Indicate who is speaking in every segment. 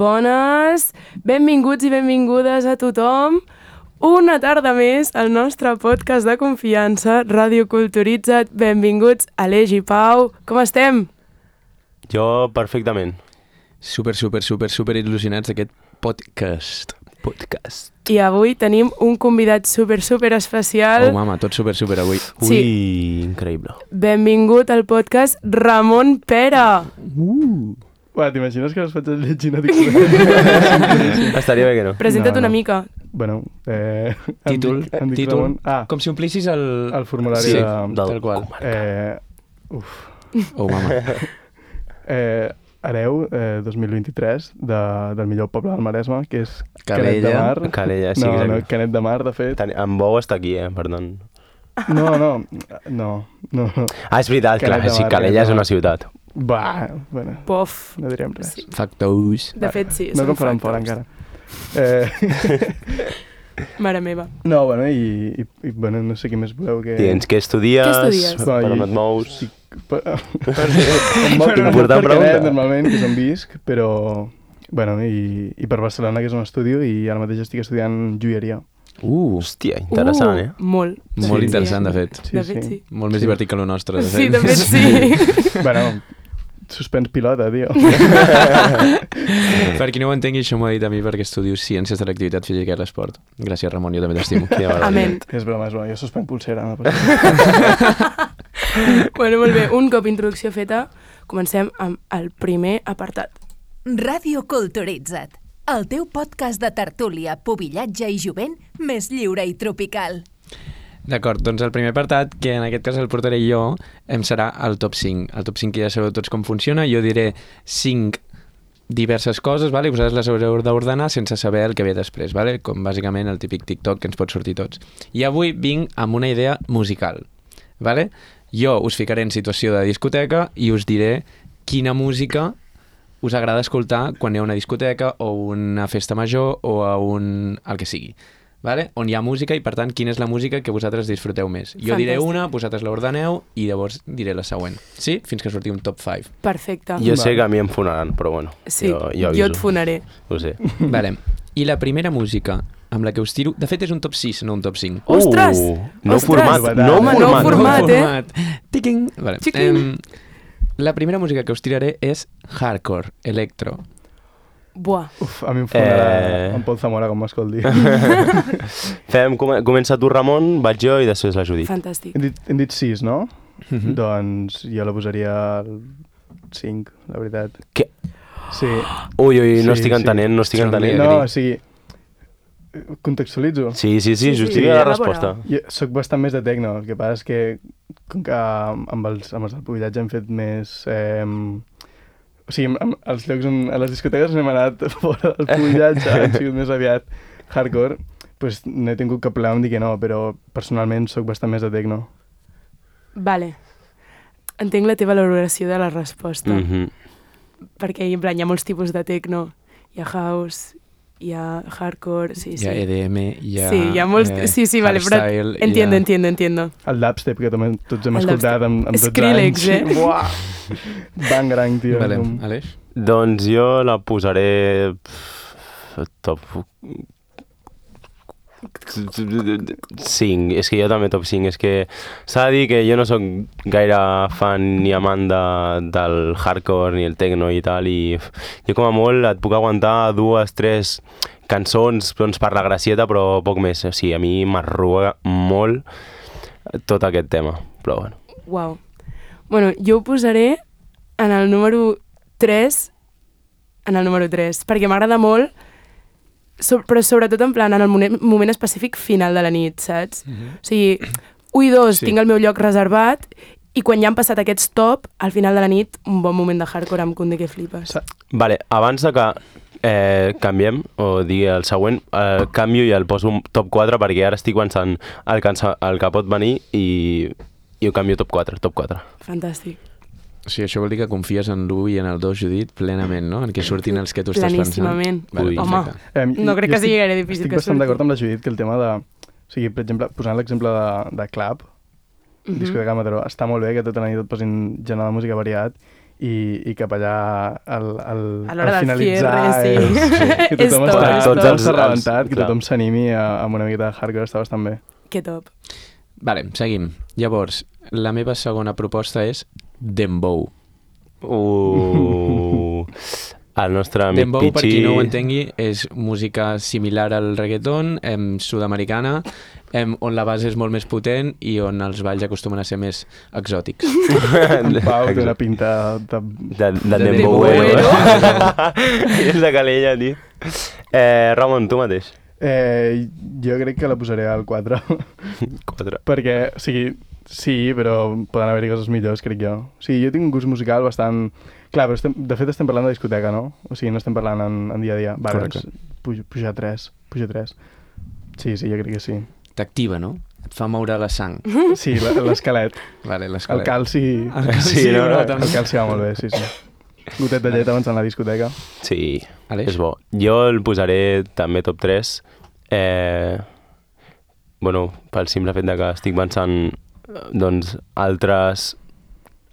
Speaker 1: Bones, benvinguts i benvingudes a tothom. Una tarda més al nostre podcast de confiança, Ràdio Culturitza't. Benvinguts, Aleix i Pau. Com estem?
Speaker 2: Jo perfectament.
Speaker 3: Super il·lusionats d'aquest podcast.
Speaker 1: I avui tenim un convidat super especial.
Speaker 3: Oh, mama, tot super avui.
Speaker 1: Sí.
Speaker 2: Ui, increïble.
Speaker 1: Benvingut al podcast Ramon Pera.
Speaker 4: Uah, t'imagines que les faig llegint a
Speaker 2: Estaria bé que no.
Speaker 1: Presenta't una mica.
Speaker 4: Bueno,
Speaker 3: Títol.
Speaker 4: Ramon.
Speaker 3: Com si omplissis
Speaker 4: el formulari
Speaker 3: sí,
Speaker 4: de...
Speaker 3: tal qual.
Speaker 4: Uf.
Speaker 3: Oh, mama.
Speaker 4: Hereu 2023 del millor poble del Maresme, que és
Speaker 3: Calella.
Speaker 4: Canet de Mar.
Speaker 2: Calella, sí.
Speaker 4: No, Canet de Mar, de fet.
Speaker 2: En Bou està aquí, per tant.
Speaker 4: No.
Speaker 2: Ah, és veritat, clar,
Speaker 4: Canet de
Speaker 2: sí,
Speaker 4: Mar,
Speaker 2: Calella és
Speaker 4: Canet de
Speaker 2: una
Speaker 4: Mar.
Speaker 2: ciutat.
Speaker 1: Pof.
Speaker 4: No direm res.
Speaker 1: Sí.
Speaker 3: Factous.
Speaker 1: De fet, sí.
Speaker 4: No
Speaker 1: són
Speaker 4: que em faran fora
Speaker 1: factors.
Speaker 4: encara.
Speaker 1: Mare meva.
Speaker 4: No, bueno, i bueno, no sé què més voleu que...
Speaker 2: Tens què estudies?
Speaker 1: Què estudies?
Speaker 2: Per on et mous?
Speaker 4: Em moc
Speaker 2: Important
Speaker 4: per
Speaker 2: pregunta.
Speaker 4: Canet, normalment, que és on visc, però... Bueno, i per Barcelona, que és on estudio, i ara mateix estic estudiant joieria.
Speaker 2: Hòstia, interessant, eh?
Speaker 1: Molt.
Speaker 3: Molt interessant, de fet.
Speaker 4: Sí,
Speaker 1: De fet, sí.
Speaker 3: Molt més divertit que lo nostre, de fet.
Speaker 1: Sí, de fet, sí.
Speaker 4: Bueno, suspens pilota, tio.
Speaker 3: Per qui no ho entengui, això m'ho ha dit a mi perquè estudio Ciències de l'Activitat Física i l'Esport. Gràcies, Ramon, jo també t'estimo.
Speaker 1: Amén.
Speaker 4: És broma, jo suspens pulsera. No passa.
Speaker 1: Bueno, molt bé. Un cop introducció feta, comencem amb el primer apartat.
Speaker 5: Ràdio Culturitza't, el teu podcast de tertúlia, pubillatge i jovent més lliure i tropical.
Speaker 3: D'acord, doncs el primer apartat, que en aquest cas el portaré jo, em serà el top 5. El top 5 que ja sabeu tots com funciona. Jo diré 5 diverses coses, vale? Vosaltres les haureu d'ordenar sense saber el que ve després, vale? Com bàsicament el típic TikTok que ens pot sortir tots. I avui vinc amb una idea musical. Vale? Jo us ficaré en situació de discoteca i us diré quina música us agrada escoltar quan hi ha una discoteca o una festa major o a el que sigui. Vale? On hi ha música i, per tant, quina és la música que vosaltres disfruteu més. Jo diré una, vosaltres l'ordeneu i llavors diré la següent. Sí? Fins que surti un top 5.
Speaker 1: Perfecte.
Speaker 2: Jo sé que a mi em fonaran, però bueno.
Speaker 1: Sí,
Speaker 2: jo
Speaker 1: jo et fonaré.
Speaker 2: Ho sé.
Speaker 3: Vale. I la primera música amb la que us tiro... De fet, és un top 6, no un top 5.
Speaker 1: Ostres!
Speaker 2: Nou
Speaker 1: Ostres!
Speaker 2: format, nou
Speaker 1: Home, nou format,
Speaker 3: Tiquing! Vale.
Speaker 1: Xiquing!
Speaker 3: La primera música que us tiraré és hardcore, electro.
Speaker 1: Buah.
Speaker 4: Uf, a mi em fonarà en Pol Zamora, com m'escolti.
Speaker 2: Comença tu, Ramon, vaig jo i després la Judit.
Speaker 1: Fantàstic.
Speaker 4: Hem dit 6, no? Doncs jo la posaria al 5, la veritat.
Speaker 2: Què?
Speaker 4: Sí.
Speaker 2: Ui, no
Speaker 4: Sí,
Speaker 2: estic
Speaker 4: sí.
Speaker 2: entenent, no estic
Speaker 3: Som
Speaker 2: entenent.
Speaker 4: No, o sigui, contextualitzo.
Speaker 2: Sí, justifica la
Speaker 1: elabora.
Speaker 2: resposta.
Speaker 4: Jo soc bastant més de techno, el que passa és que com que amb els del pubillatge hem fet més... o sigui, als llocs a les discoteques hem anat fora del pubillatge, han sigut més aviat hardcore, doncs no he tingut cap problema amb dir que no, però personalment soc bastant més de techno.
Speaker 1: Vale. Entenc la teva valoració de la resposta.
Speaker 2: Mhm.
Speaker 1: Perquè en plan, hi ha molts tipus de techno. Hi ha house, hi ha hardcore, sí.
Speaker 3: Hi ha EDM, hi ha...
Speaker 1: Sí, hi ha molts... Sí, vale, però
Speaker 3: hardstyle,
Speaker 1: entiendo.
Speaker 4: El dubstep, que també tots hem
Speaker 1: El
Speaker 4: escoltat amb 12
Speaker 1: Skrillex,
Speaker 4: anys. Buah! Bangrang, tio.
Speaker 3: Vale, Aleix?
Speaker 2: Doncs jo la posaré... top... 5, és que jo també top 5, és que s'ha de dir que jo no sóc gaire fan ni amant del hardcore ni el techno i tal, i jo com a molt et puc aguantar 2, 3 cançons doncs, per la gracieta, però poc més, o sigui, a mi m'arruga molt tot aquest tema, però bueno.
Speaker 1: Uau. Bueno, jo ho posaré en el número 3, perquè m'agrada molt, però sobretot en plan en el moment específic final de la nit, saps? O sigui, 1 i 2 tinc el meu lloc reservat i quan ja han passat aquests top, al final de la nit, un bon moment de hardcore amb Kunde que flipes.
Speaker 2: Vale, abans de que canviem, o digui el següent, canvio i el poso un top 4 perquè ara estic pensant el que pot venir i ho canvio top 4.
Speaker 1: Fantàstic.
Speaker 3: O sigui, això vol dir que confies en l'1 i en el 2, Judit, plenament, no? En què surtin els que tu estàs pensant.
Speaker 1: Planíssimament.
Speaker 3: Vale,
Speaker 1: Home,
Speaker 3: perfecte.
Speaker 1: no crec que sigui gaire difícil que
Speaker 4: Estic bastant
Speaker 1: surti.
Speaker 4: d'acord amb la Judit que el tema de... O sigui, per exemple, posant l'exemple de club, discoteca Mataró, està molt bé que tota la nit et posin generar de música variat i cap allà
Speaker 1: A l'hora
Speaker 4: al
Speaker 1: del
Speaker 4: finalitzar
Speaker 1: cierre, sí.
Speaker 4: que tothom
Speaker 1: És top, és top.
Speaker 4: està rebentat, que
Speaker 2: clar.
Speaker 4: tothom s'animi amb una miqueta de hardcore, està bastant bé.
Speaker 1: Que top.
Speaker 3: Vale, seguim. Llavors, la meva segona proposta és Dembow.
Speaker 2: El nostre amic
Speaker 3: Dembow, per qui
Speaker 2: Pichi...
Speaker 3: no ho entengui, és música similar al reggaeton, sud-americana, on la base és molt més potent i on els balls acostumen a ser més exòtics.
Speaker 4: Pau té una pinta de...
Speaker 2: de
Speaker 1: de
Speaker 2: Dembowero. És de Calella, tio. Ramon, tu mateix.
Speaker 4: Jo crec que la posaré al 4.
Speaker 2: 4.
Speaker 4: Perquè, o sigui, sí, però poden haver-hi coses millors, crec jo. O sigui, jo tinc un gust musical bastant... Clar, però de fet estem parlant de discoteca, no? O sigui, no estem parlant en dia a dia. Va, doncs, puja 3. Sí, jo crec que sí.
Speaker 3: T'activa, no? Et fa moure la sang.
Speaker 4: Sí, l'esquelet.
Speaker 3: Vale,
Speaker 4: El
Speaker 3: l'esquelet.
Speaker 4: calci...
Speaker 2: Sí, no?
Speaker 4: El calci va molt bé, sí. Gotet de llet abans d'anar a la discoteca.
Speaker 2: Sí,
Speaker 3: Aleix?
Speaker 2: és bo. Jo el posaré també top 3. Pel simple fet de que estic pensant doncs, altres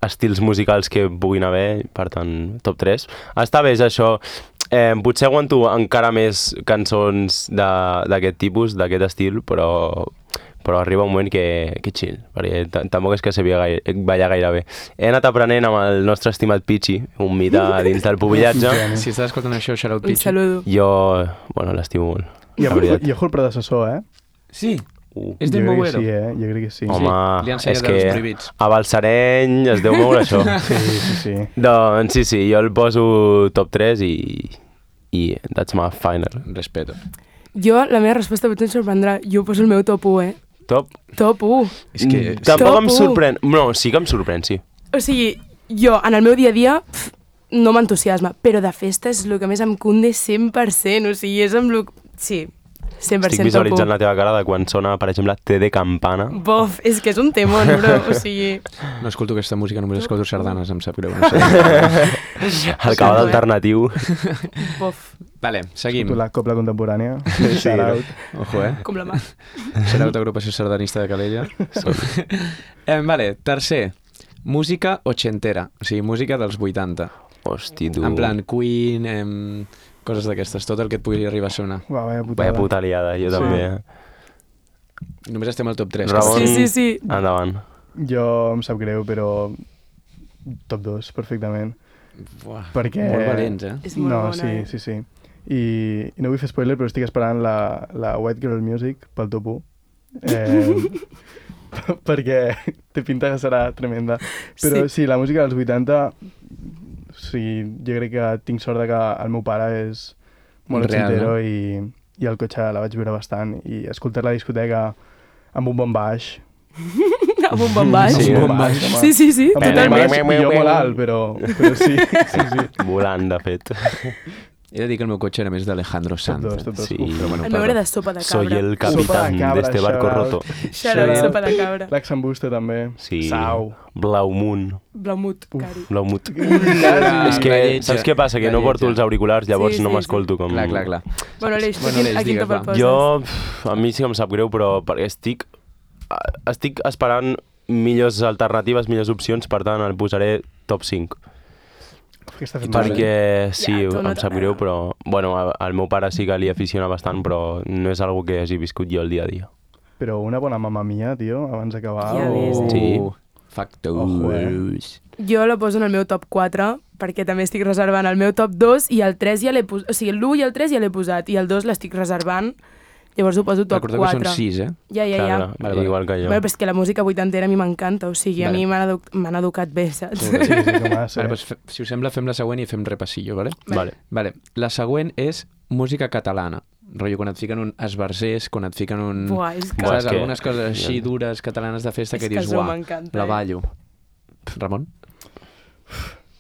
Speaker 2: estils musicals que puguin haver, per tant, top 3. Està bé, és això. Potser aguanto encara més cançons d'aquest tipus, d'aquest estil, però arriba un moment que chill, perquè tampoc és que sabia ballar gaire bé. He anat aprenent amb el nostre estimat Pichi, un mite dins del pubillatge.
Speaker 3: Si estàs escoltant això, shout out
Speaker 1: Un
Speaker 3: Pichi.
Speaker 1: saludo.
Speaker 2: Jo, l'estimo molt.
Speaker 4: I
Speaker 2: la veritat.
Speaker 4: ojo el predecessor,
Speaker 3: Sí, és
Speaker 4: Jo crec que
Speaker 3: Dembowero.
Speaker 4: sí, jo crec que sí.
Speaker 2: Home,
Speaker 3: li han
Speaker 2: és
Speaker 3: ensenyat
Speaker 2: que
Speaker 3: els prohibits.
Speaker 2: a Balsareny es deu moure això.
Speaker 4: Sí.
Speaker 2: Doncs sí, jo el poso top 3 i that's my final.
Speaker 3: Respeto.
Speaker 1: Jo, la meva resposta potser em sorprendrà. Jo poso el meu top 1,
Speaker 2: Top?
Speaker 1: Top 1.
Speaker 3: És que...
Speaker 2: Tampoc
Speaker 1: Top
Speaker 2: em
Speaker 1: 1.
Speaker 2: sorprèn. No, sí que em sorprèn, sí.
Speaker 1: O sigui, jo, en el meu dia a dia, no m'entusiasma, però de festa és el que més em cunde 100%. O sigui, és amb el... Sí, 100%
Speaker 2: Estic
Speaker 1: top 1.
Speaker 2: visualitzant la teva cara de quan sona, per exemple, T de campana.
Speaker 1: Bof, és que és un temón, bro. O sigui...
Speaker 3: No escolto aquesta música, només escolto sardanes, em sap greu. No sé.
Speaker 2: El cabal alternatiu.
Speaker 1: Bof,
Speaker 3: Vale, seguim.
Speaker 4: Tu la copla contemporània.
Speaker 2: Sí,
Speaker 3: Ojo,
Speaker 1: com la mà.
Speaker 3: Serà agrupació sardanista de Calella. Vale, tercer. Música ochentera, o sigui, música dels 80.
Speaker 2: Hosti, tu.
Speaker 3: En plan, Queen, coses d'aquestes, tot el que et pugui arribar a sonar.
Speaker 4: Va, vaya putada.
Speaker 2: Vaya puta liada, jo també.
Speaker 3: Només estem al top 3.
Speaker 2: Ramon,
Speaker 1: Sí.
Speaker 2: endavant.
Speaker 4: Jo em sap greu, però top 2, perfectament.
Speaker 3: Buah,
Speaker 4: Perquè...
Speaker 3: molt valents,
Speaker 1: És molt
Speaker 4: no,
Speaker 1: bona,
Speaker 4: sí. I no vull fer spoiler, però estic esperant la White Girl Music pel top 1. Perquè té pinta que serà tremenda. Però sí, la música dels 80, sí, jo crec que tinc sort de que el meu pare és molt
Speaker 3: Real,
Speaker 4: ochentero
Speaker 3: no?
Speaker 4: i el cotxe la vaig veure bastant. I escoltar la discoteca amb un bon baix.
Speaker 1: Amb un bon baix.
Speaker 2: Sí,
Speaker 4: amb un bon baix, home.
Speaker 1: Sí,
Speaker 4: Amb un bon
Speaker 1: totalment.
Speaker 4: baix i jo molt alt, però sí.
Speaker 2: Volant, de fet.
Speaker 3: He de dir que el meu cotxe era més d'Alejandro Sanz.
Speaker 4: Tot dos.
Speaker 2: Sí.
Speaker 4: Uf,
Speaker 3: Però bueno,
Speaker 1: El meu era de sopa de cabra.
Speaker 2: Soy el
Speaker 4: Sopa
Speaker 2: capitán
Speaker 4: de cabra,
Speaker 2: de este barco
Speaker 4: shout out.
Speaker 2: roto.
Speaker 1: Xarot, sopa de cabra.
Speaker 4: L'Axambusta també.
Speaker 2: Sí.
Speaker 4: Sau.
Speaker 2: Blaumun.
Speaker 1: Blaumut, cari.
Speaker 2: Blaumut.
Speaker 3: Ah,
Speaker 2: És que,
Speaker 3: la lletja.
Speaker 2: saps què passa? Que
Speaker 3: La
Speaker 2: no porto
Speaker 3: lletja.
Speaker 2: els auriculars, llavors
Speaker 1: Sí,
Speaker 2: no
Speaker 1: sí,
Speaker 2: m'escolto com...
Speaker 3: Clar.
Speaker 1: Bueno, Aleix,
Speaker 3: Bueno, Aleix,
Speaker 1: a quin
Speaker 3: digues,
Speaker 1: top el
Speaker 3: va.
Speaker 1: poses?
Speaker 2: Jo, a mi sí que em sap greu, però perquè estic esperant millors alternatives, millors opcions, per tant el posaré top 5.
Speaker 4: Que està fent
Speaker 2: Perquè sí,
Speaker 1: Ja, tu no
Speaker 2: em sap greu, però bueno, al meu pare sí que li aficiona bastant, però no és algo que hagi viscut jo el dia a dia.
Speaker 4: Però una bona mamma mia, tio, abans d'acabar.
Speaker 1: Ja ves, eh?
Speaker 2: Sí.
Speaker 3: Factors.
Speaker 1: Jo la poso en el meu top 4, perquè també estic reservant el meu top 2 i el 3 ja l'he posat. O sigui, l'1 i el 3 ja l'he posat i el 2 l'estic reservant. Llavors ho poso top
Speaker 3: Recordeu
Speaker 1: 4.
Speaker 3: que són 6,
Speaker 1: Ja.
Speaker 2: Clar,
Speaker 3: Vale.
Speaker 2: igual que jo.
Speaker 1: Bueno, però és que la música vuitantera a mi m'encanta, o sigui,
Speaker 3: Vale.
Speaker 1: a mi m'han educat bé, saps?
Speaker 4: Sí, que massa.
Speaker 3: Vale, doncs, si us sembla, fem la següent i fem repassillo, vale?
Speaker 2: Vale.
Speaker 3: La següent és música catalana. Rotllo, quan et fiquen un esbarzers, quan et fiquen un...
Speaker 1: Buah, és que...
Speaker 2: Buah,
Speaker 3: Saps?
Speaker 2: és que-
Speaker 3: Algunes coses així dures catalanes de festa
Speaker 1: És
Speaker 3: que
Speaker 1: que
Speaker 3: dius,
Speaker 1: això
Speaker 3: uah,
Speaker 1: m'encanta,
Speaker 3: la
Speaker 1: eh?"
Speaker 3: ballo. Ramon?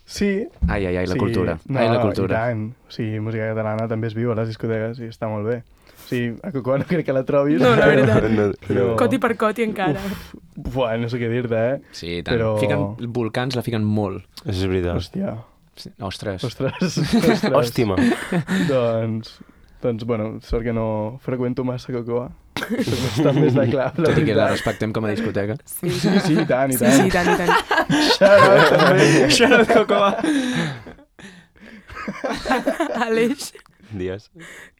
Speaker 4: Sí.
Speaker 3: Ai, la
Speaker 4: sí.
Speaker 3: cultura.
Speaker 4: No,
Speaker 3: Ai, la
Speaker 4: I
Speaker 3: cultura.
Speaker 4: tant. O sigui, música catalana també es viu a les discoteques i està molt bé. O sigui, a Cocoa no crec que la trobis.
Speaker 1: No, la veritat.
Speaker 4: Però-
Speaker 1: Coti per coti encara.
Speaker 4: Buah, no sé què dir-te, eh?
Speaker 3: Sí, tant.
Speaker 4: Però-
Speaker 3: Fiquen volcans, la fiquen molt.
Speaker 2: Això és veritat.
Speaker 4: Hòstia.
Speaker 3: Ostres.
Speaker 4: Ostres.
Speaker 2: Hòstima.
Speaker 4: doncs, bueno, sort que no freqüento massa Cocoa. Soc bastant més de club,
Speaker 3: Tot i que la respectem com a discoteca.
Speaker 1: Sí,
Speaker 4: Sí, i tant, i
Speaker 1: sí,
Speaker 4: tant.
Speaker 1: sí, i tant, i tant.
Speaker 4: Shout-out, també.
Speaker 3: Shout-out, Cocoa.
Speaker 1: Aleix,
Speaker 2: Dies.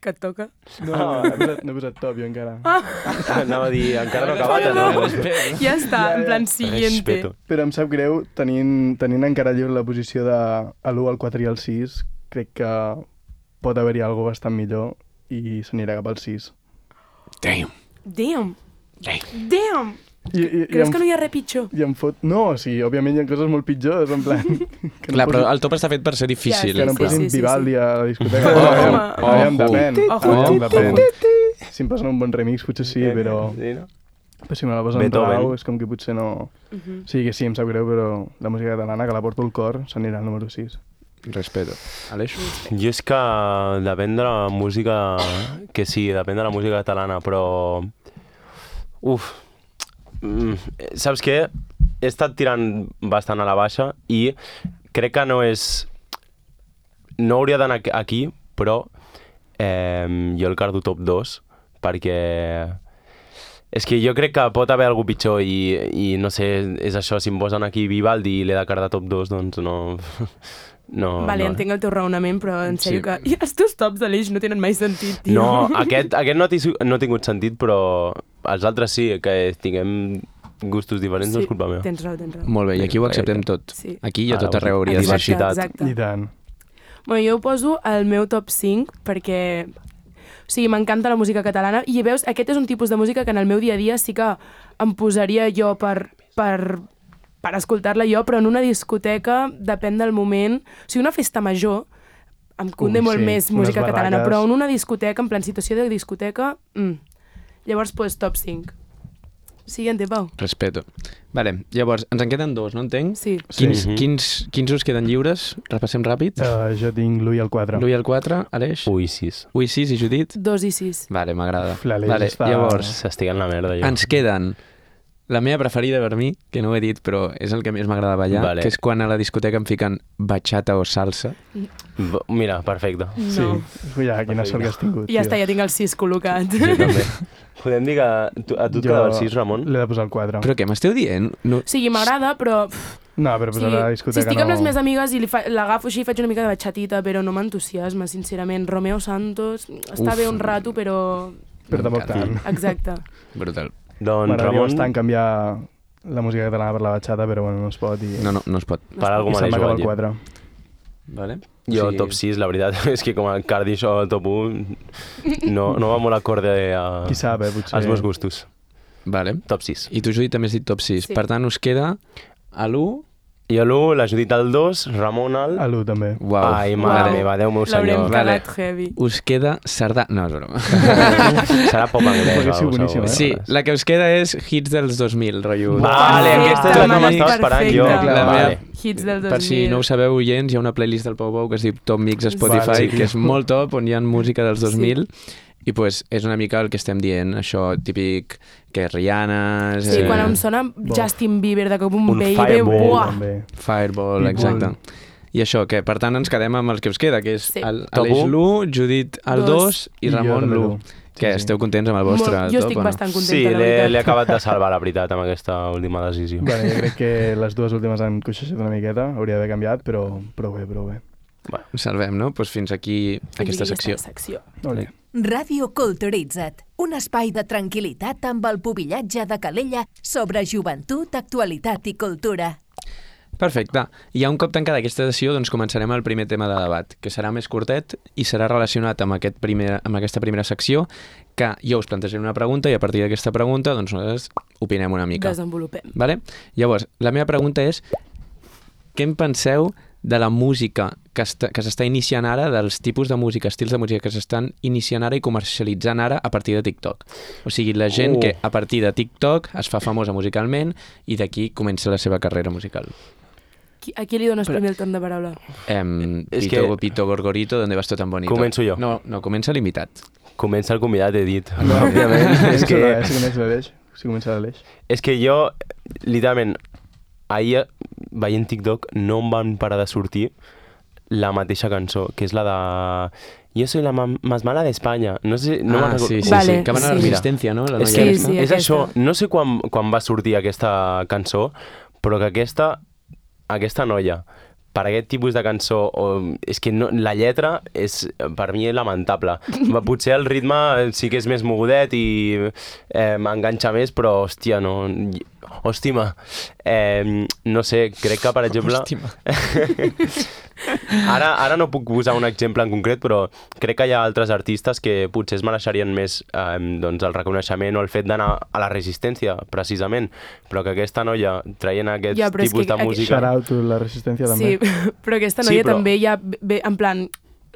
Speaker 1: que et toca.
Speaker 4: No he posat top, jo encara.
Speaker 2: Anava a dir, encara no he acabat, no?
Speaker 1: Ja està, en plan siguiente.
Speaker 2: Respeto.
Speaker 4: Però em sap greu, tenint encara lliure la posició de l'1, el 4 i el 6, crec que pot haver-hi alguna bastant millor i s'anirà cap al 6.
Speaker 3: Damn.
Speaker 1: Damn.
Speaker 3: Hey.
Speaker 1: Damn. Creus que no hi ha res pitjor?
Speaker 4: I em fot... No, sí, òbviament hi ha coses molt pitjors, en plan... Que
Speaker 3: Clar, però el top està fet per ser difícil.
Speaker 4: Que no em
Speaker 1: Sí,
Speaker 4: posin
Speaker 1: sí, sí,
Speaker 4: Vivaldi a la discoteca.
Speaker 1: Home.
Speaker 4: Aviam, depèn.
Speaker 1: Ojo.
Speaker 4: Aviam, depèn. Si em posen un bon remix, potser sí, però...
Speaker 2: Sí, no?
Speaker 4: Però si me la posen
Speaker 2: Beethoven.
Speaker 4: rau, és com que potser no... Sí, que sí, em sap greu, però la música catalana, que la porto al cor, s'anirà al número 6.
Speaker 3: Respeto. Aleix?
Speaker 2: Jo és que depèn de la música... Que sí, depèn de la música catalana, però... Uf... Saps què? He estat tirant bastant a la baixa i crec que no és... No hauria d'anar aquí, però jo el cardo top 2 perquè... És que jo crec que pot haver algú pitjor i no sé, és això, si em posen aquí Vivaldi i l'he de cardar top 2, doncs no... No,
Speaker 1: Vale,
Speaker 2: no.
Speaker 1: entenc el teu raonament, però en sèrio
Speaker 3: Sí.
Speaker 1: que... I els teus tops d'Aleix no tenen mai sentit, tio.
Speaker 2: No, aquest no ha tingut sentit, però els altres sí, que tinguem gustos diferents, no és culpa meva.
Speaker 1: Tens raó, tens raó.
Speaker 3: Molt bé, i aquí ho acceptem tot.
Speaker 1: Sí.
Speaker 3: Aquí i a tot
Speaker 2: Ah,
Speaker 3: arreu hauria de ser així.
Speaker 2: diversitat.
Speaker 1: Exacte.
Speaker 4: I tant.
Speaker 1: Bueno, jo ho poso al meu top 5 perquè... O sigui, m'encanta la música catalana i veus, aquest és un tipus de música que en el meu dia a dia sí que em posaria jo per escoltar-la jo, però en una discoteca depèn del moment. O sigui, una festa major em conde molt
Speaker 4: sí,
Speaker 1: més
Speaker 4: unes
Speaker 1: música catalana,
Speaker 4: barraques.
Speaker 1: però en una discoteca, en plan situació de discoteca, llavors pues top 5. Siguiente, Pau.
Speaker 3: Respeto. Vale, llavors, ens en queden dos, no entenc?
Speaker 1: Sí.
Speaker 3: Quins us queden lliures? Repassem ràpid.
Speaker 4: Jo tinc l'1 i el 4.
Speaker 3: L'1 i el 4, Aleix?
Speaker 2: Ui, 6.
Speaker 3: Ui, 6 i Judit?
Speaker 1: 2 i 6.
Speaker 3: Vale, m'agrada.
Speaker 4: L'Aleix
Speaker 3: Vale,
Speaker 4: està-
Speaker 3: llavors,
Speaker 2: S'estic en la merda, jo.
Speaker 3: ens queden la meva preferida per mi, que no ho he dit, però és el que més m'agrada ballar,
Speaker 2: Vale.
Speaker 3: que és quan a la discoteca em fiquen bachata o salsa.
Speaker 2: Mira, perfecte.
Speaker 1: No.
Speaker 4: Sí. Ja, quina sort que has tingut.
Speaker 1: Ja
Speaker 4: tio.
Speaker 1: està, ja tinc el 6 col·locat.
Speaker 2: Jo també. Podem dir que a tu et quedava el 6, Ramon?
Speaker 4: L'he de posar el 4.
Speaker 3: Però què m'esteu dient? No...
Speaker 1: O sigui, m'agrada, però...
Speaker 4: No, però posar a la discoteca
Speaker 1: si estic amb
Speaker 4: no...
Speaker 1: les meves amigues i l'agafo així i faig una mica de batxatita, però no m'entusiasma, sincerament. Romeo Santos està bé un rato, però...
Speaker 4: Però tampoc tant.
Speaker 1: Exacte.
Speaker 3: Brutal.
Speaker 2: Doncs,
Speaker 4: M'agradaria
Speaker 2: Ramon,
Speaker 4: bastant canviar la música catalana per la batxata, però bueno, no es pot. I,
Speaker 3: No es pot.
Speaker 2: per algú
Speaker 4: i
Speaker 2: me
Speaker 4: se'n
Speaker 2: l'he
Speaker 4: va acabar
Speaker 2: jugat,
Speaker 4: el
Speaker 2: jo.
Speaker 4: 4.
Speaker 3: Vale?
Speaker 2: Jo,
Speaker 3: O sigui,
Speaker 2: top 6, la veritat, és que com a cardi això al top 1 no va molt acorde
Speaker 4: Qui sap, potser...
Speaker 2: als meus gustos.
Speaker 3: Vale.
Speaker 2: Top 6.
Speaker 3: I tu, Judit, també has dit top 6.
Speaker 1: Sí.
Speaker 3: Per tant, us queda a l'1...
Speaker 2: Jo l'1, la Judit al 2, Ramon al...
Speaker 4: A l'1 també.
Speaker 3: Uau.
Speaker 2: Ai, mare
Speaker 3: Vale.
Speaker 2: meva, Déu meu
Speaker 1: L'haurem
Speaker 2: senyor.
Speaker 3: Vale.
Speaker 1: cagat heavy.
Speaker 3: Us queda Cerdà... No, és broma.
Speaker 2: Serà pop anglès.
Speaker 4: Perquè sí,
Speaker 2: o
Speaker 4: boníssim,
Speaker 2: segur.
Speaker 3: Sí, la que us queda és hits dels 2000, rotllo.
Speaker 2: Vale, aquesta és la que m'estava esperant jo.
Speaker 1: Perfecte.
Speaker 3: La
Speaker 2: Vale.
Speaker 3: meva-
Speaker 1: Hits del 2000.
Speaker 3: Per si no ho sabeu, oients, hi ha una playlist del Pau Pau que es diu Top Mix a Spotify,
Speaker 4: Vale.
Speaker 3: que és molt top, on hi ha música dels 2000, i pues, és una mica el que estem dient, això típic, que Rihanna...
Speaker 1: Sí, quan em sona Justin Bieber de cop un
Speaker 2: Un
Speaker 1: baby,
Speaker 2: Fireball,
Speaker 1: buah!
Speaker 4: També.
Speaker 3: Fireball,
Speaker 4: Pitbull.
Speaker 3: exacte. I això, que per tant ens quedem amb el que us queda, que és
Speaker 1: Sí.
Speaker 2: Top
Speaker 3: Aleix
Speaker 2: u.
Speaker 3: l'1, Judit el 2 i
Speaker 4: jo
Speaker 3: Ramon
Speaker 4: també
Speaker 3: l'1.
Speaker 4: l'1.
Speaker 3: Que esteu contents amb el vostre
Speaker 1: Molt, jo
Speaker 3: top,
Speaker 1: estic
Speaker 3: o no?
Speaker 1: bastant contenta,
Speaker 2: Sí,
Speaker 1: la veritat.
Speaker 2: l'he acabat de salvar, la veritat, amb aquesta última decisió.
Speaker 4: Bueno, jo crec que les dues últimes han coixejat una miqueta, hauria d'haver canviat, però bé, però bé.
Speaker 3: Ho salvem, no? Pues fins aquí aquesta secció.
Speaker 4: Ole.
Speaker 5: Ràdio Culturitza't, un espai de tranquil·litat amb el pubillatge de Calella sobre joventut, actualitat i cultura.
Speaker 3: Perfecte. I ja un cop tancada aquesta sessió, doncs començarem el primer tema de debat, que serà més curtet i serà relacionat amb aquesta primera secció, que jo us plantejaré una pregunta i a partir d'aquesta pregunta doncs nosaltres opinem una mica.
Speaker 1: Desenvolupem.
Speaker 3: Vale? Llavors, la meva pregunta és què en penseu de la música que s'està iniciant ara, dels tipus de música, estils de música que s'estan iniciant ara i comercialitzant ara a partir de TikTok. O sigui, la gent que a partir de TikTok es fa famosa musicalment i d'aquí comença la seva carrera musical.
Speaker 1: A qui li dones primer el torn de paraula?
Speaker 2: És
Speaker 3: Pito,
Speaker 2: que-
Speaker 3: Pito Gorgorito, ¿dónde vas tú tan bonito?
Speaker 2: Començo jo.
Speaker 3: No, comença l'invitat.
Speaker 2: Comença el convidat, he dit.
Speaker 4: No,
Speaker 2: Òbviament. És que,
Speaker 4: Si comença l'Aleix. Si comença l'Aleix.
Speaker 2: és que jo, literalment, ahir veient TikTok no em van parar de sortir la mateixa cançó, que és la de... Jo soy la más mala d'Espanya. No sé, no me'n recordo.
Speaker 3: Sí,
Speaker 1: Vale,
Speaker 3: que van a la
Speaker 1: sí.
Speaker 3: Resistència, no? La
Speaker 2: És
Speaker 3: noia
Speaker 2: que
Speaker 3: aquesta.
Speaker 2: és
Speaker 1: aquesta.
Speaker 2: això, no sé quan va sortir aquesta cançó, però que aquesta noia, per aquest tipus de cançó, és que no, la lletra és per mi lamentable. Potser el ritme sí que és més mogudet i m'enganxa més, però hòstia, no... Hòstima, no sé, crec que, per exemple... Ara no puc posar un exemple en concret, però crec que hi ha altres artistes que potser es mereixerien més doncs el reconeixement o el fet d'anar a la resistència, precisament, però que aquesta noia traient aquests tipus de música...
Speaker 4: Shout out to la resistència també.
Speaker 1: Sí, però aquesta noia també ja ve, en plan,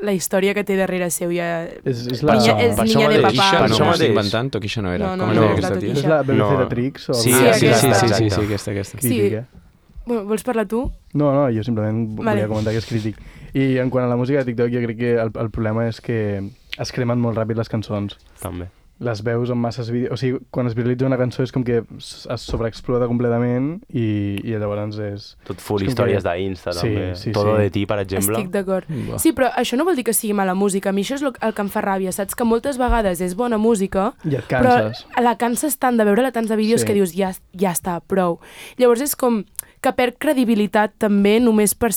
Speaker 1: la història que té darrere seu ja...
Speaker 4: És la...
Speaker 1: És niña de papà.
Speaker 3: Toquisha,
Speaker 2: Per
Speaker 3: no
Speaker 2: això
Speaker 3: m'ho
Speaker 2: mateix.
Speaker 3: estic inventant, Toquisha no era.
Speaker 1: No,
Speaker 3: Com es
Speaker 1: no,
Speaker 3: deia
Speaker 1: la
Speaker 3: aquesta tia?
Speaker 1: Toquisha.
Speaker 4: És la BBC
Speaker 2: No.
Speaker 4: de Trix? O
Speaker 2: Sí,
Speaker 1: aquesta.
Speaker 3: Aquesta.
Speaker 4: Crítica.
Speaker 1: Bueno, vols parlar tu?
Speaker 4: No, jo simplement
Speaker 1: Vale.
Speaker 4: volia comentar que és crític. I en quant a la música de TikTok, jo crec que el problema és que es cremen molt ràpid les cançons.
Speaker 2: També.
Speaker 4: Les veus en masses vídeos... O sigui, quan es viralitza una cançó és com que es sobreexplota completament i llavors és...
Speaker 2: Tot full
Speaker 4: és com
Speaker 2: històries
Speaker 4: que-
Speaker 2: d'Insta,
Speaker 4: Sí,
Speaker 2: també.
Speaker 4: sí,
Speaker 2: Todo
Speaker 4: sí.
Speaker 2: de ti, per exemple.
Speaker 1: Estic d'acord.
Speaker 3: Buah.
Speaker 1: Sí, però això no vol dir que sigui mala música. A mi això és el que em fa ràbia, saps? Que moltes vegades és bona música,
Speaker 4: I et canses.
Speaker 1: però la canses tant de veure-la tants de vídeos
Speaker 4: Sí.
Speaker 1: que dius ja està, prou. Llavors és com que perd credibilitat també només per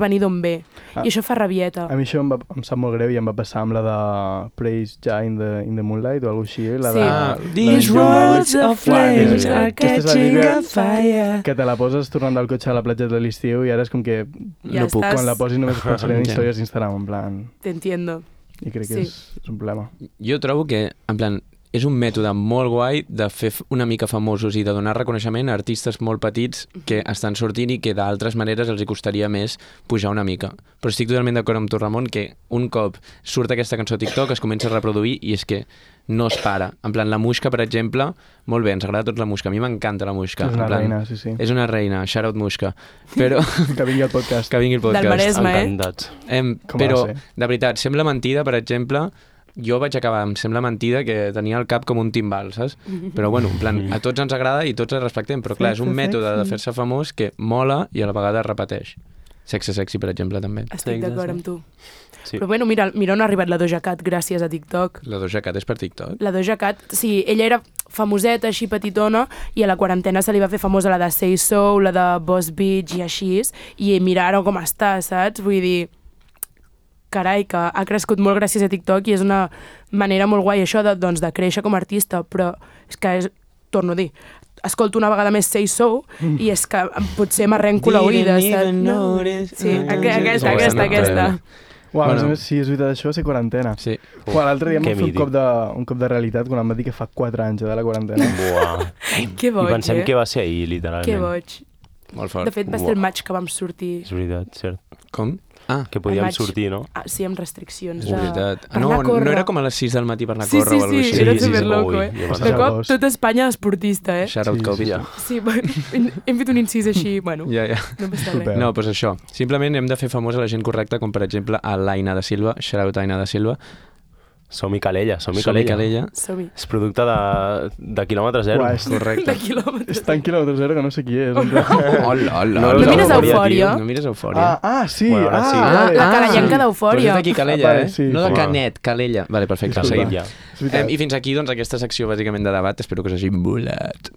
Speaker 1: venir d'on ve. I això fa rabieta.
Speaker 4: A mi això em sap molt greu i em va passar amb la de Praise Ja in the Moonlight o alguna cosa així. La
Speaker 1: Sí.
Speaker 4: de...
Speaker 3: These words of flames are
Speaker 4: Aquesta és la
Speaker 3: catching
Speaker 4: típica
Speaker 3: a fire.
Speaker 4: que te la poses tornant del cotxe a la platja de l'estiu i ara és com que
Speaker 1: Ja
Speaker 3: no puc.
Speaker 1: estàs...
Speaker 4: quan la posis només pensaré en
Speaker 3: Ja.
Speaker 4: històries d'Instagram, en plan...
Speaker 1: T'entiendo.
Speaker 4: I crec que
Speaker 1: Sí.
Speaker 4: és un problema.
Speaker 3: Jo trobo que, en plan, és un mètode molt guai de fer una mica famosos i de donar reconeixement a artistes molt petits que estan sortint i que d'altres maneres els hi costaria més pujar una mica. Però estic totalment d'acord amb tu, Ramon, que un cop surt aquesta cançó a TikTok es comença a reproduir i és que no es para. En plan, la Muixca, per exemple, molt bé, ens agrada a tots la Muixca. A mi m'encanta la Muixca.
Speaker 4: És una
Speaker 3: En plan,
Speaker 4: reina, sí, sí.
Speaker 3: És una reina, shout out Muixca. Però
Speaker 4: Que vingui al podcast.
Speaker 3: que vingui el podcast.
Speaker 1: Del Maresme,
Speaker 2: Encantats.
Speaker 4: Com ha de
Speaker 3: Però,
Speaker 4: ser.
Speaker 3: de veritat, sembla mentida, per exemple, jo vaig acabar, em sembla mentida que tenia el cap com un timbal, saps? Però bueno, en plan, a tots ens agrada i tots el respectem, però clar, és un mètode de fer-se famós que mola i a la vegada es repeteix. Sexe sexy, per exemple, també.
Speaker 1: Estic d'acord amb tu.
Speaker 2: Sí.
Speaker 1: Però bueno, mira on ha arribat la Doja Cat gràcies a TikTok.
Speaker 3: La Doja Cat és per TikTok?
Speaker 1: La Doja Cat, sí, ella era famoseta, així petitona, i a la quarantena se li va fer famosa la de Say So, la de Boss Bitch i així, i mira ara com està, saps? Vull dir, carai, que ha crescut molt gràcies a TikTok i és una manera molt guai això de créixer com a artista, però és que torno a dir, escolto una vegada més Say So i és que potser m'arrenco l'oïda, saps? No. Sí, aquesta.
Speaker 4: Uau,
Speaker 3: Bueno.
Speaker 4: a més, sí, és veritat, això va ser quarantena.
Speaker 3: Sí.
Speaker 4: Uau, l'altre dia em
Speaker 2: Que
Speaker 4: va fer
Speaker 2: mític.
Speaker 4: un cop de realitat quan em va dir que fa 4 anys de la quarantena.
Speaker 2: Buah.
Speaker 1: Que boig,
Speaker 2: I pensem
Speaker 1: eh?
Speaker 2: que va ser ahir, literalment.
Speaker 1: Que boig.
Speaker 3: Molt fort.
Speaker 1: De fet, va ser el maig que vam sortir.
Speaker 2: És veritat, cert.
Speaker 3: Com? Ah,
Speaker 2: Que podíem
Speaker 1: maig.
Speaker 2: sortir, no?
Speaker 1: Ah, sí, amb restriccions.
Speaker 3: és veritat.
Speaker 1: per
Speaker 3: No,
Speaker 1: anar a córrer.
Speaker 3: no era com a les 6 del matí per anar a
Speaker 1: Sí,
Speaker 3: córrer
Speaker 1: sí,
Speaker 3: o alguna
Speaker 1: sí,
Speaker 3: cosa
Speaker 1: era
Speaker 3: així.
Speaker 1: superloco,
Speaker 2: Ui,
Speaker 1: eh?
Speaker 2: jo
Speaker 4: vaig
Speaker 1: De
Speaker 4: anar
Speaker 1: cop,
Speaker 4: agost.
Speaker 1: tot Espanya esportista, eh?
Speaker 3: Shout out
Speaker 4: Sí,
Speaker 3: Covid.
Speaker 4: sí.
Speaker 1: Sí, bueno, hem fet un incís així, bueno,
Speaker 3: Ja.
Speaker 1: no m'està
Speaker 4: Super.
Speaker 1: bé.
Speaker 3: No, doncs això. Simplement hem de fer famosa la gent correcta, com per exemple a l'Aina de Silva, shout out Aina de Silva.
Speaker 2: Som-hi Calella, som-hi
Speaker 3: Som-hi
Speaker 2: Calella.
Speaker 3: Calella.
Speaker 1: Som-hi.
Speaker 2: És producte de quilòmetre zero.
Speaker 4: Uau,
Speaker 3: Correcte.
Speaker 1: De quilòmetres.
Speaker 4: és tan quilòmetre zero que no sé qui és. en plan.
Speaker 3: Hola, hola.
Speaker 2: No
Speaker 1: No mires
Speaker 2: Eufòria,
Speaker 1: Eufòria?
Speaker 3: No mires Eufòria.
Speaker 4: Sí,
Speaker 2: Bueno, ara sí.
Speaker 1: La carallenca d'Eufòria.
Speaker 3: Però és d'aquí Calella,
Speaker 4: Vale,
Speaker 3: eh?
Speaker 4: sí.
Speaker 3: No de
Speaker 2: Home.
Speaker 3: Canet, Calella. Vale, perfecte,
Speaker 4: Disculpa.
Speaker 3: seguim.
Speaker 2: Ja.
Speaker 4: És veritat.
Speaker 3: I fins aquí, doncs, aquesta secció bàsicament de debat. Espero que us hagi volat.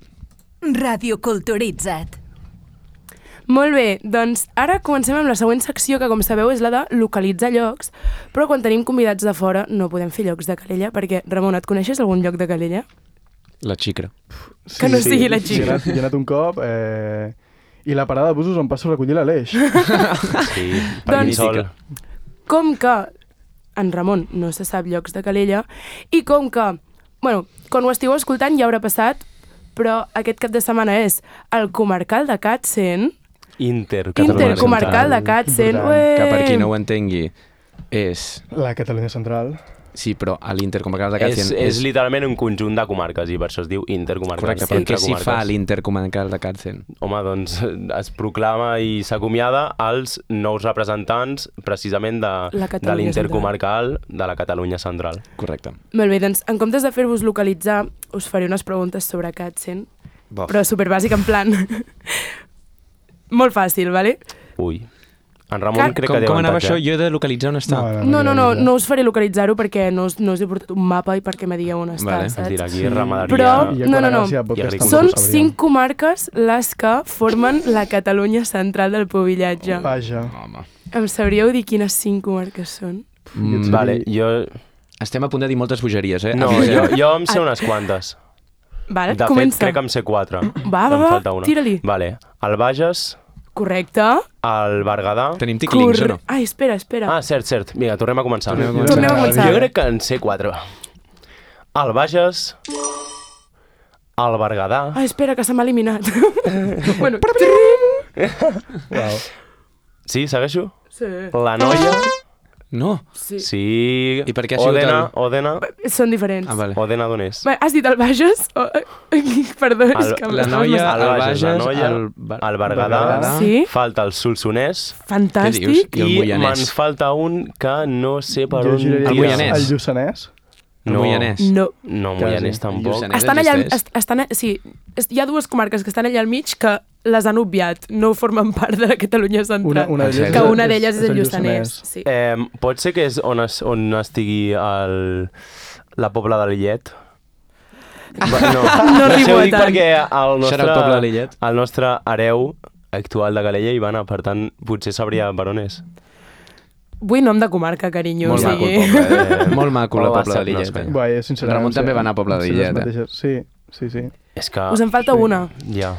Speaker 5: Radio Culturitzat.
Speaker 1: Molt bé, doncs ara comencem amb la següent secció, que com sabeu és la de localitzar llocs, però quan tenim convidats de fora no podem fer llocs de Calella, perquè, Ramon, et coneixes algun lloc de Calella?
Speaker 3: La xicra.
Speaker 1: Que no sigui la Xicra.
Speaker 4: Hi he anat un cop i la parada de busos on passo a recollir l'Aleix.
Speaker 2: Sí, per
Speaker 1: Doncs-
Speaker 2: mi sol.
Speaker 1: Com que en Ramon no se sap llocs de Calella, i com que, bueno, quan ho estigueu escoltant ja haurà passat, però aquest cap de setmana és el comarcal de Càtzen, Intercomarcal de Càtzen,
Speaker 4: Important.
Speaker 3: Que per qui no ho entengui, és...
Speaker 4: La Catalunya Central.
Speaker 3: Sí, però a l'Intercomarcal de
Speaker 2: És,
Speaker 3: Càtzen
Speaker 2: és literalment un conjunt de comarques i per això es diu intercomarcal.
Speaker 3: Correcte, però què s'hi
Speaker 2: Entre
Speaker 3: fa a
Speaker 2: comarques.
Speaker 3: l'Intercomarcal de Càtzen?
Speaker 2: Home, doncs es proclama i s'acomiada als nous representants precisament
Speaker 1: La
Speaker 2: de
Speaker 1: Catalunya
Speaker 2: l'intercomarcal de la Catalunya Central.
Speaker 3: Correcte.
Speaker 1: Molt bé, doncs en comptes de fer-vos localitzar, us faré unes preguntes sobre Càtzen,
Speaker 3: Bof.
Speaker 1: però superbàsic en plan... molt fàcil, vale?
Speaker 2: Ui, En Ramon crec que té
Speaker 3: Com anava
Speaker 2: avantatge.
Speaker 3: això? Jo he de localitzar on està.
Speaker 1: No us faré localitzar-ho perquè no us he portat un mapa i perquè me digueu on està,
Speaker 3: Vale.
Speaker 2: És
Speaker 1: saps?
Speaker 2: dir, aquí ramaderia...
Speaker 1: Però-
Speaker 4: I ja
Speaker 1: No,
Speaker 4: quan
Speaker 1: no.
Speaker 4: Gràcia Podcast
Speaker 2: I
Speaker 4: tampoc
Speaker 1: Són
Speaker 4: ho sabríem.
Speaker 1: 5 comarques les que formen la Catalunya central del Pubillatge.
Speaker 4: Vaja.
Speaker 3: Home.
Speaker 1: Em sabríeu dir quines 5 comarques són?
Speaker 2: Vale, jo...
Speaker 3: Estem a punt de dir moltes bogeries, eh?
Speaker 2: No,
Speaker 3: Aviseu.
Speaker 2: jo em sé unes quantes.
Speaker 1: Vale,
Speaker 2: De fet,
Speaker 1: comença.
Speaker 2: crec que em sé 4.
Speaker 1: Va,
Speaker 2: Em falta una.
Speaker 1: tira-li.
Speaker 2: Vale, el Bages,
Speaker 1: Correcte.
Speaker 2: el Berguedà...
Speaker 3: Tenim ticlings o no?
Speaker 1: Ai, espera.
Speaker 2: Ah, cert. Vinga, tornem a començar.
Speaker 1: Tornem a començar.
Speaker 2: Jo crec que en sé 4. El Bages, el Berguedà...
Speaker 1: Ai, espera, que se m'ha eliminat. Bueno,
Speaker 4: Uau.
Speaker 2: Sí, segueixo?
Speaker 1: sí.
Speaker 2: La Noia...
Speaker 3: No.
Speaker 1: Sí.
Speaker 2: Sí...
Speaker 3: I per què ha sigut
Speaker 2: Òdena...
Speaker 1: Són diferents.
Speaker 3: Ah, vale.
Speaker 2: Òdena d'on és?
Speaker 1: Va, has dit el Bages? Perdó, és que...
Speaker 3: La Noia,
Speaker 2: El
Speaker 3: el
Speaker 2: Bages, la
Speaker 3: Bages,
Speaker 2: Noia, el Berguedà...
Speaker 4: Berguedà.
Speaker 1: Sí,
Speaker 2: Falta el Solsonès...
Speaker 1: fantàstic.
Speaker 3: I el
Speaker 2: I
Speaker 3: Moianès.
Speaker 2: me'n falta un que no sé per
Speaker 4: Jo
Speaker 2: on
Speaker 4: giraria
Speaker 3: El Moianès.
Speaker 4: El Lluçanès.
Speaker 3: El Moianès.
Speaker 1: No.
Speaker 2: No,
Speaker 4: Quasi.
Speaker 2: Moianès tampoc.
Speaker 3: Lluçanès.
Speaker 1: Estan allà,
Speaker 3: existeix?
Speaker 1: sí, hi ha dues comarques que estan allà al mig que les han obviat, no formen part de la Catalunya central.
Speaker 4: Una d'elles
Speaker 1: que una d'elles és el Lluçanès. Sí.
Speaker 2: Pot ser que és on estigui la Pobla de Lillet? No,
Speaker 1: No
Speaker 2: sé,
Speaker 1: arribo
Speaker 2: ho
Speaker 1: a
Speaker 2: dic
Speaker 1: tant.
Speaker 2: perquè
Speaker 3: Serà el poble de Lillet?
Speaker 2: el nostre hereu actual de Calella hi va anar, per tant, potser sabria per on és.
Speaker 1: Vull nom de comarca, carinyo.
Speaker 3: Molt
Speaker 1: o
Speaker 3: maco
Speaker 1: sigui...
Speaker 3: el poble. Molt maco la
Speaker 2: O va
Speaker 3: Pobla de
Speaker 2: ser- no,
Speaker 3: Lillet.
Speaker 2: espera.
Speaker 4: Guai, sincerament.
Speaker 3: Ramon també va anar a Pobla de
Speaker 4: sí, les
Speaker 3: Lillet,
Speaker 4: mateixes- Sí.
Speaker 2: És que...
Speaker 1: Us en falta una.
Speaker 2: Ja.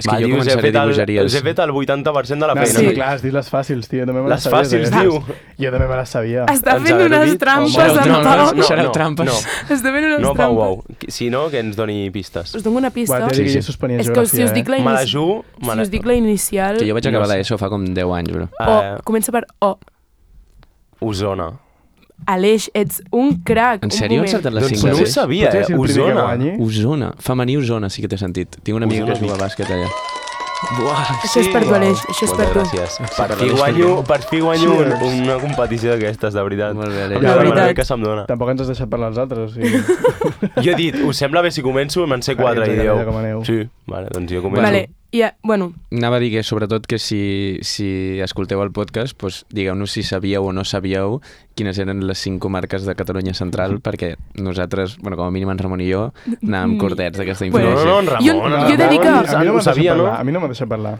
Speaker 3: És que jo començaré a dir bogeries.
Speaker 2: Us he fet el 80% de la
Speaker 4: No,
Speaker 2: feina.
Speaker 1: Sí.
Speaker 4: clar, has dit les fàcils, tio. També me
Speaker 2: Les
Speaker 4: sabies,
Speaker 2: fàcils,
Speaker 4: aquestes.
Speaker 2: diu.
Speaker 4: Jo també me les sabia.
Speaker 1: Està
Speaker 2: Ens
Speaker 1: fent
Speaker 2: haver-ho
Speaker 1: unes
Speaker 2: dit?
Speaker 1: trampes,
Speaker 4: Home,
Speaker 1: en Pau.
Speaker 3: Serà trampes.
Speaker 2: No.
Speaker 1: Està fent unes
Speaker 2: No,
Speaker 1: trampes.
Speaker 2: Pau. Si no, que ens doni pistes.
Speaker 1: Us dono una pista.
Speaker 4: Buah, t'he de dir que jo suspenia
Speaker 1: És que
Speaker 4: geografia,
Speaker 1: si us dic la,
Speaker 2: Me la jugo...
Speaker 1: si us dic la inicial...
Speaker 3: Que jo vaig
Speaker 2: No
Speaker 3: acabar
Speaker 2: sé.
Speaker 3: l'ESO fa com 10 anys, bro.
Speaker 1: O, comença per O.
Speaker 2: Osona.
Speaker 1: Aleix, ets un crac.
Speaker 3: En
Speaker 1: un
Speaker 3: sèrio? He
Speaker 1: moment.
Speaker 3: encertat les
Speaker 2: Doncs
Speaker 3: 5
Speaker 2: no ho
Speaker 3: de 6?
Speaker 2: sabia,
Speaker 4: Potser si el primer que
Speaker 2: Osona.
Speaker 4: guanyi.
Speaker 3: Osona. Femení Osona sí que té sentit. Tinc un amic
Speaker 2: Osona,
Speaker 3: que juga a bàsquet allà. Buah,
Speaker 1: Això és per tu, Aleix, això és per
Speaker 2: Moltes
Speaker 1: tu.
Speaker 2: gràcies.
Speaker 3: per
Speaker 2: Per fi guanyo
Speaker 4: Cheers.
Speaker 2: una competició d'aquestes, de veritat.
Speaker 3: Molt bé,
Speaker 2: La
Speaker 3: Aleix.
Speaker 1: La veritat.
Speaker 2: veritat que se'm dona.
Speaker 4: Tampoc ens has deixat parlar els altres, o sigui...
Speaker 2: Jo he dit, us sembla bé si començo? Me'n sé 4 i
Speaker 4: Exacte,
Speaker 2: dieu.
Speaker 4: ja com aneu.
Speaker 2: Sí, vale, doncs jo començo.
Speaker 1: Vale, bueno,
Speaker 3: Anava a dir que, sobretot, que si escolteu el podcast, doncs, digueu-nos si sabíeu o no sabíeu quines eren les 5 comarques de Catalunya Central, perquè nosaltres, bueno, com a mínim en Ramon i jo, anàvem cortets d'aquesta
Speaker 1: Bueno,
Speaker 3: informació.
Speaker 2: No, en Ramon.
Speaker 1: Jo he de dir que-
Speaker 4: A mi no
Speaker 2: ho
Speaker 4: m'ha deixat
Speaker 2: sabia, no?
Speaker 4: parlar. A mi no m'ha deixat parlar.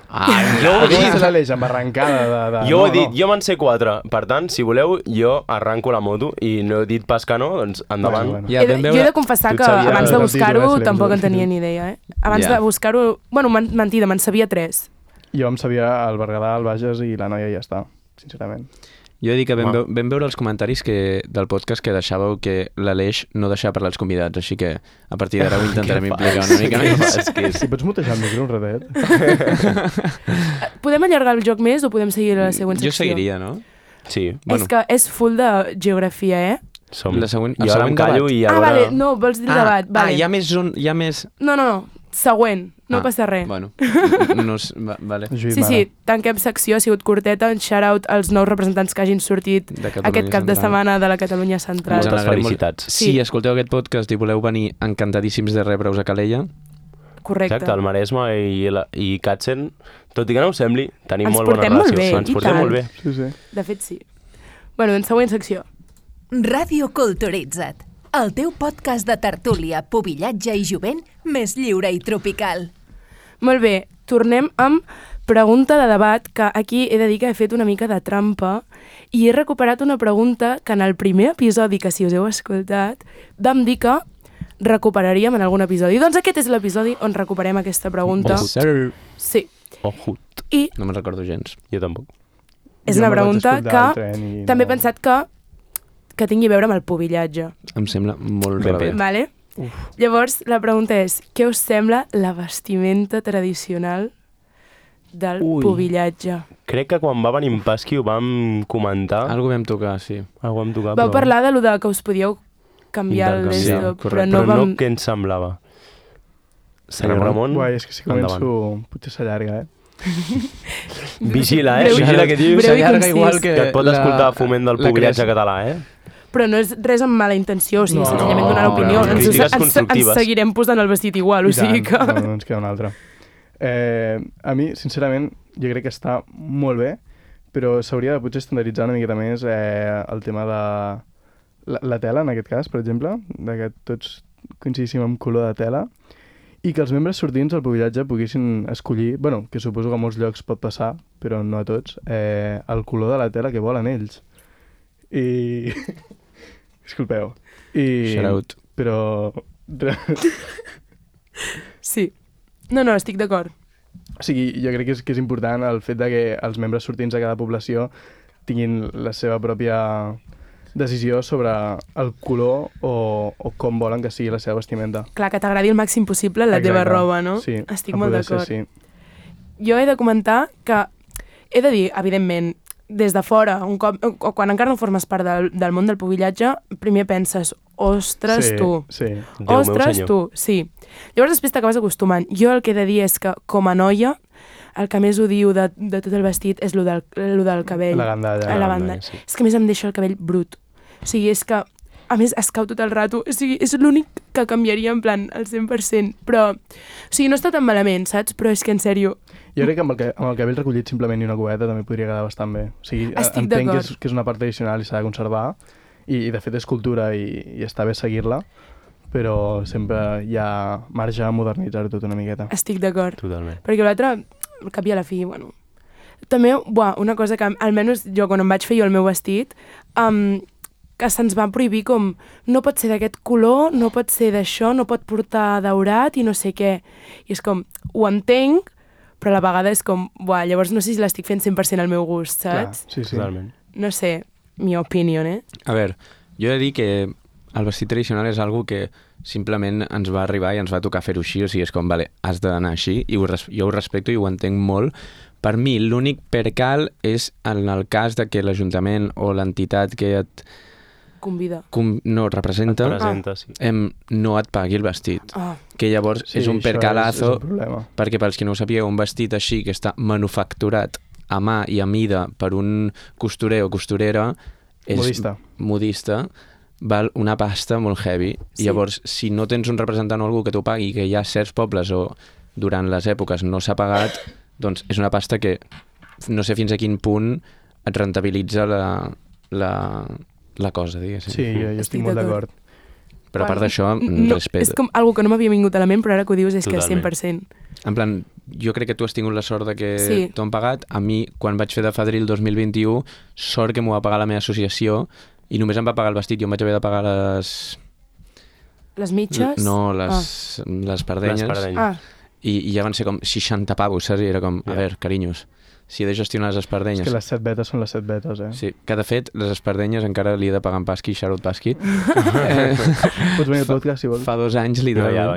Speaker 2: Jo ho he
Speaker 4: Jo
Speaker 2: dit.
Speaker 4: sé l'Aleix amb arrencada de...
Speaker 2: Jo ho he dit, jo me'n sé 4. Per tant, si voleu, jo arranco la moto i no he dit pas que no, doncs endavant.
Speaker 4: Bueno.
Speaker 3: Ja,
Speaker 1: jo
Speaker 3: vam
Speaker 1: he
Speaker 3: veure...
Speaker 1: de confessar
Speaker 2: Tu
Speaker 1: que
Speaker 2: sabies
Speaker 1: abans de
Speaker 4: el
Speaker 1: buscar-ho
Speaker 4: títol,
Speaker 1: tampoc en
Speaker 4: el títol.
Speaker 1: tenia ni idea, eh? Abans
Speaker 3: Ja.
Speaker 1: de buscar-ho... Bueno, mentida, me'n sabia 3.
Speaker 4: Jo em sabia el Berguedà, el Bages i la Noia i ja està, sincerament.
Speaker 3: Jo he dit que
Speaker 2: Home.
Speaker 3: vam veure els comentaris del podcast que deixàveu que l'Aleix no deixava parlar els convidats, així que a partir d'ara ho intentarem implicar una mica més.
Speaker 2: És que és...
Speaker 4: Si pots mutejar el micro un ratet?
Speaker 1: Podem allargar el joc més o podem seguir a la següent secció?
Speaker 3: Jo seguiria, no?
Speaker 2: Sí,
Speaker 1: És que és full de geografia, eh?
Speaker 2: som...
Speaker 3: La següent- el
Speaker 2: jo ara em
Speaker 3: següent
Speaker 2: callo
Speaker 3: debat.
Speaker 2: i
Speaker 1: Ah,
Speaker 2: ara...
Speaker 1: vale, no, vols dir el debat. Vale.
Speaker 3: hi ha més...
Speaker 1: No. Següent, no passa res.
Speaker 3: Bueno, no, vale.
Speaker 4: Lluís,
Speaker 1: Sí,
Speaker 4: mare.
Speaker 1: tanquem secció, ha sigut curteta, un shout-out als nous representants que hagin sortit
Speaker 3: De Catalunya
Speaker 1: aquest cap de
Speaker 3: Central.
Speaker 1: setmana de la Catalunya Central.
Speaker 3: Ens
Speaker 2: Moltes
Speaker 3: alegrem molt.
Speaker 2: felicitats.
Speaker 3: Si
Speaker 1: Sí.
Speaker 3: escolteu aquest podcast i voleu venir encantadíssims de rebre-us a Calella,
Speaker 1: Correcte.
Speaker 2: Exacte, el Maresme i Katzen, tot i que no ho sembli, tenim
Speaker 1: Ens
Speaker 2: molt bona
Speaker 1: portem molt
Speaker 2: relació.
Speaker 1: bé,
Speaker 2: Ens
Speaker 1: i
Speaker 2: portem
Speaker 1: tant.
Speaker 2: molt bé.
Speaker 4: Sí, sí.
Speaker 1: De fet, sí. Bueno, en següent secció.
Speaker 5: Ràdio Culturitza't, el teu podcast de tertúlia, pubillatge i jovent més lliure i tropical.
Speaker 1: Molt bé, tornem amb pregunta de debat, que aquí he de dir que he fet una mica de trampa i he recuperat una pregunta que en el primer episodi, que si us heu escoltat, vam dir que recuperaríem en algun episodi. Doncs aquest és l'episodi on recuperem aquesta pregunta.
Speaker 3: yes, sir.
Speaker 1: Sí.
Speaker 2: Ojut.
Speaker 1: I
Speaker 3: No me'n recordo gens.
Speaker 2: Jo tampoc.
Speaker 1: és
Speaker 4: Jo
Speaker 1: una
Speaker 4: me'l vaig
Speaker 1: pregunta
Speaker 4: escoltar al
Speaker 1: que
Speaker 4: tren i
Speaker 1: també he
Speaker 4: no-
Speaker 1: pensat que tingui a veure amb el pubillatge.
Speaker 3: Em sembla molt
Speaker 2: Ben
Speaker 3: rebé.
Speaker 2: fet.
Speaker 1: Vale? Llavors, la pregunta és, què us sembla la vestimenta tradicional del
Speaker 2: Ui.
Speaker 1: pubillatge?
Speaker 2: Crec que quan va venir en Pasqui ho vam comentar.
Speaker 3: Algo vam tocar, sí.
Speaker 2: Algo vam tocar,
Speaker 1: Vau
Speaker 2: però...
Speaker 1: parlar de lo de que us podíeu canviar el
Speaker 2: Intercanviar,
Speaker 1: d'esto, però
Speaker 3: correcte.
Speaker 1: no
Speaker 2: Però
Speaker 1: vam...
Speaker 2: no què ens semblava. Senyor
Speaker 3: Ramon?
Speaker 2: Ramon,
Speaker 4: Guai, és que si començo potser s'allarga, eh?
Speaker 2: vigila,
Speaker 1: Breu-
Speaker 2: vigila que dius.
Speaker 1: breu i
Speaker 3: S'allarga
Speaker 1: concís.
Speaker 3: igual
Speaker 2: Que et pot escoltar foment del
Speaker 3: la
Speaker 2: pubillatge
Speaker 3: creació.
Speaker 2: català, eh?
Speaker 1: Però no és res amb mala intenció, o sigui,
Speaker 4: No,
Speaker 1: senzillament donar l'opinió.
Speaker 2: no,
Speaker 1: Ens,
Speaker 2: crítiques
Speaker 1: ens
Speaker 2: constructives.
Speaker 1: seguirem posant el vestit igual, o
Speaker 4: I tant,
Speaker 1: sigui que...
Speaker 4: no ens queda una altra. A mi, sincerament, jo crec que està molt bé però s'hauria de potser estandarditzar una miqueta més el tema de la tela, en aquest cas, per exemple, que tots coincidíssim en color de tela, i que els membres sortints al pubillatge poguessin escollir, bueno, que suposo que a molts llocs pot passar, però no a tots, el color de la tela que volen ells. I... Disculpeu.
Speaker 3: Shout out.
Speaker 4: Però...
Speaker 1: Sí. No, estic d'acord.
Speaker 4: O sigui, jo crec que és important el fet de que els membres sortints de cada població tinguin la seva pròpia decisió sobre el color o com volen que sigui la seva vestimenta.
Speaker 1: Clar, que t'agradi el màxim possible la teva roba, no?
Speaker 4: Sí,
Speaker 1: estic molt d'acord.
Speaker 4: Sí.
Speaker 1: Jo he de comentar que, he de dir, evidentment, des de fora, un cop, o quan encara no formes part del món del pubillatge, primer penses, ostres, tu.
Speaker 4: Sí.
Speaker 1: Ostres, tu, sí. Llavors després t'acabes acostumant. Jo el que he de dir és que, com a noia, el que més odio de tot el vestit és lo del cabell.
Speaker 4: La gandalla.
Speaker 1: La banda.
Speaker 2: Sí.
Speaker 1: És que a més em deixa el cabell brut. O sigui, és que, a més, es cau tot el rato. O sigui, és l'únic que canviaria en plan al 100%. Però, o sigui, no està tan malament, saps? Però és que, en sèrio...
Speaker 4: Jo crec que amb el cabell recollit simplement i una cubeta també podria quedar bastant bé. O sigui, entenc que és una part tradicional i s'ha de conservar i de fet és cultura i està bé seguir-la, però sempre hi ha marge a modernitzar-ho tot una miqueta.
Speaker 1: Estic d'acord.
Speaker 2: Totalment.
Speaker 1: Perquè l'altre, al cap i a la fi, bueno... També, una cosa que, almenys jo, quan em vaig fer jo el meu vestit, que se'ns va prohibir com no pot ser d'aquest color, no pot ser d'això, no pot portar daurat i no sé què. I és com, ho entenc, però a la vegada és com, llavors no sé si l'estic fent 100% al meu gust, saps?
Speaker 4: Clar, sí.
Speaker 2: Totalment.
Speaker 1: No sé, mi opinió,
Speaker 3: A veure, jo he de dir que el vestit tradicional és algo que simplement ens va arribar i ens va tocar fer-ho així, o sigui, és com, vale, has d'anar així, i jo ho respecto i ho entenc molt. Per mi, l'únic percal és en el cas de que l'Ajuntament o l'entitat que et
Speaker 1: convida.
Speaker 3: No, representa,
Speaker 2: Sí.
Speaker 3: no et pagui el vestit. Que llavors és un percalazo,
Speaker 4: és un problema.
Speaker 3: perquè pels que no ho sapigueu, un vestit així que està manufacturat a mà i a mida per un costurer o costurera és modista, val una pasta molt heavy.
Speaker 1: Sí.
Speaker 3: I llavors, si no tens un representant o algú que t'ho pagui, que hi ha certs pobles o durant les èpoques no s'ha pagat, doncs és una pasta que no sé fins a quin punt et rentabilitza la cosa, diguéssim.
Speaker 4: Sí, jo estic molt d'acord.
Speaker 3: Però a part d'això, respecte.
Speaker 1: És com algo que no m'havia vingut a la ment, però ara que ho dius és
Speaker 2: Totalment.
Speaker 1: que 100%.
Speaker 3: En plan, jo crec que tu has tingut la sort de que t'ho han pagat. A mi, quan vaig fer de fadril 2021, sort que m'ho va pagar la meva associació i només em va pagar el vestit. Jo em vaig haver de pagar
Speaker 1: Les mitges?
Speaker 3: No, les pardenyes. I ja van ser com 60 pavos, saps? I era com, a veure, carinyos, si he de gestionar les espardenyes...
Speaker 4: És que les 7 betes són les 7 betes,
Speaker 3: Sí, que de fet, les espardenyes encara li he de pagar en Pasqui, Xarot Pasqui.
Speaker 4: Pots venir al podcast, si vols.
Speaker 3: Fa 2 anys li devo, ja va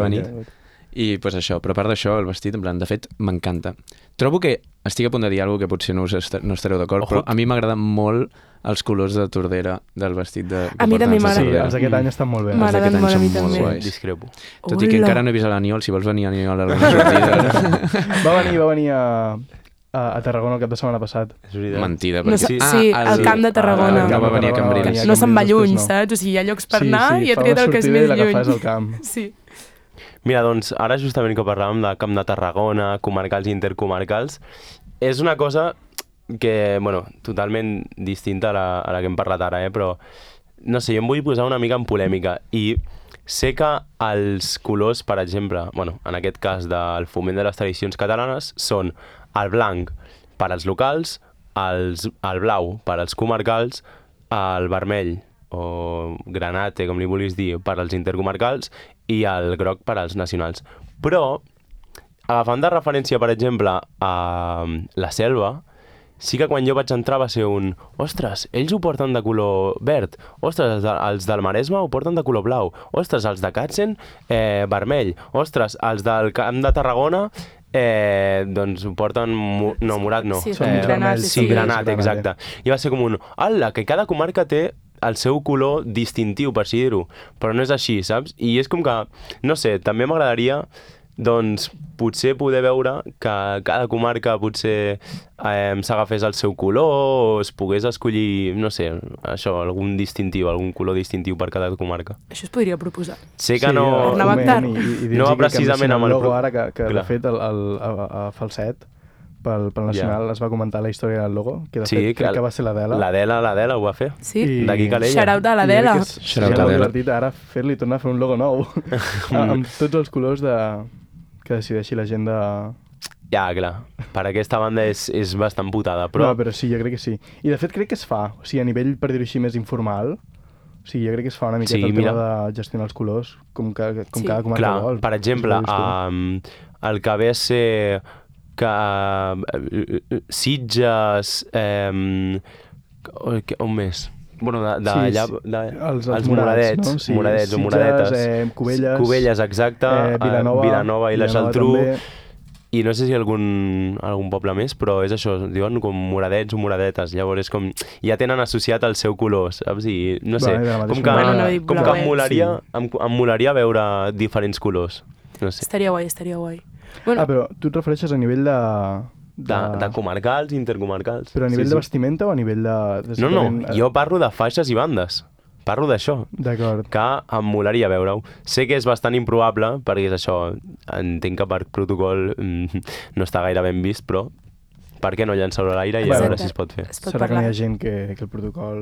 Speaker 3: venir. I pues això, però a part d'això, el vestit, en plan, de fet, m'encanta. Trobo que estic a punt de dir alguna que potser no estareu d'acord, però a mi m'agraden molt els colors de Tordera del vestit de...
Speaker 1: A mi també m'agrada.
Speaker 4: Sí, els d'aquest any estan molt bé.
Speaker 1: M'agraden molt a mi també.
Speaker 2: Discrepo.
Speaker 3: Tot i que encara no he vist a l'Aniol, si vols venir a l'Aniol a alguna sortida.
Speaker 4: Va venir a Tarragona el cap de setmana passat.
Speaker 3: Mentida.
Speaker 1: No, sí, al camp de Tarragona.
Speaker 3: No va venir a Cambrils.
Speaker 1: No se'n va lluny, saps? O sigui, hi ha llocs per anar i ha triat el que és més lluny.
Speaker 4: Sí, fa una sortida i l'agafàs al camp.
Speaker 1: Sí.
Speaker 2: Mira, doncs, ara justament que parlàvem de Camp de Tarragona, comarcals i intercomarcals, és una cosa que, bueno, totalment distinta a la que hem parlat ara, però, no sé, jo em vull posar una mica en polèmica i sé que els colors, per exemple, bueno, en aquest cas del foment de les tradicions catalanes, són el blanc per als locals, el blau per als comarcals, el vermell o granate, com li vulguis dir, per als intercomarcals i el groc per als nacionals. Però, agafant de referència, per exemple, a la Selva, sí que quan jo vaig entrar va ser un ostres, ells ho porten de color verd, ostres, els del Maresme ho porten de color blau, ostres, els de Katzen, vermell, ostres, els del Camp de Tarragona doncs ho porten... no, morat no.
Speaker 1: Sí, granat.
Speaker 2: Sí, granat, exacte. I va ser com un... Ala, que cada comarca té el seu color distintiu, per així dir-ho, però no és així, saps? I és com que, no sé, també m'agradaria, doncs, potser poder veure que cada comarca potser s'agafés el seu color o es pogués escollir, no sé, això, algun distintiu, algun color distintiu per cada comarca.
Speaker 1: Això es podria proposar.
Speaker 2: Sé que no...
Speaker 1: I
Speaker 2: no va precisament amb
Speaker 4: el logo ara, que de fet a Falset pel Nacional es va comentar la història del logo, que de
Speaker 2: Sí,
Speaker 4: fet crec que va ser l'Adela.
Speaker 2: L'Adela ho va fer.
Speaker 1: Sí?
Speaker 2: D'aquí Calella.
Speaker 1: Shout-out a l'Adela.
Speaker 3: Shout-out a
Speaker 4: Seria molt
Speaker 3: l'Adela.
Speaker 4: divertit ara fer-li tornar a fer un logo nou amb tots els colors que decideixi la gent de...
Speaker 2: Ja, clar. Per aquesta banda és bastant putada,
Speaker 4: Però...
Speaker 2: però...
Speaker 4: No, però sí, jo crec que sí. I de fet crec que es fa, o sigui, a nivell, per dir-ho així, més informal, o sigui, jo crec que es fa una miqueta
Speaker 2: Sí,
Speaker 4: el
Speaker 2: mira.
Speaker 4: tema de gestionar els colors, com cada
Speaker 1: Sí.
Speaker 4: comarca
Speaker 2: Clar,
Speaker 4: vol.
Speaker 2: per exemple, el que ve a ser que Sitges... on més? Bueno, els moradets,
Speaker 4: no? Sí,
Speaker 2: moradets o
Speaker 4: Sitges,
Speaker 2: moradetes.
Speaker 4: Cubelles,
Speaker 2: exacte,
Speaker 4: Vilanova
Speaker 2: i la Geltrú,
Speaker 4: també.
Speaker 2: i no sé si algun poble més, però és això, diuen com moradets o moradetes, llavors és com, ja tenen associat el seu color, saps? I no sé,
Speaker 4: Vale, de la mateixa
Speaker 2: com que,
Speaker 1: manera. Bueno, no dic
Speaker 2: com que
Speaker 1: blauets.
Speaker 2: em molaria veure diferents colors, no sé,
Speaker 1: Estaria guai, estaria guai. Bueno,
Speaker 4: Però tu et refereixes a nivell
Speaker 2: de comarcals, intercomarcals.
Speaker 4: Però a nivell
Speaker 2: Sí,
Speaker 4: de
Speaker 2: sí.
Speaker 4: vestimenta o a nivell de...
Speaker 2: No, jo parlo de faixes i bandes. Parlo d'això,
Speaker 4: D'acord.
Speaker 2: que em molaria veure-ho. Sé que és bastant improbable, perquè és això, entenc que per protocol no està gaire ben vist, però per què no llançar-ho a l'aire i a veure
Speaker 1: Exacte.
Speaker 2: si es pot fer.
Speaker 1: es pot
Speaker 4: Serà que no
Speaker 1: parlar.
Speaker 4: hi ha gent que el protocol...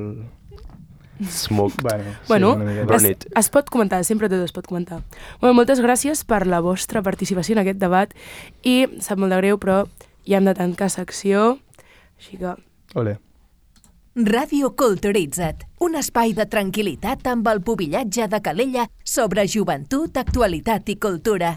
Speaker 2: Smoke.
Speaker 4: Bueno,
Speaker 1: Bueno,
Speaker 4: una miqueta.
Speaker 2: Run it.
Speaker 1: es pot comentar, sempre tot es pot comentar. Bueno, moltes gràcies per la vostra participació en aquest debat i sap molt de greu, però ja hem de tancar secció, així que...
Speaker 4: Ole.
Speaker 5: Ràdio Culturitza't, un espai de tranquil·litat amb el pubillatge de Calella sobre joventut, actualitat i cultura.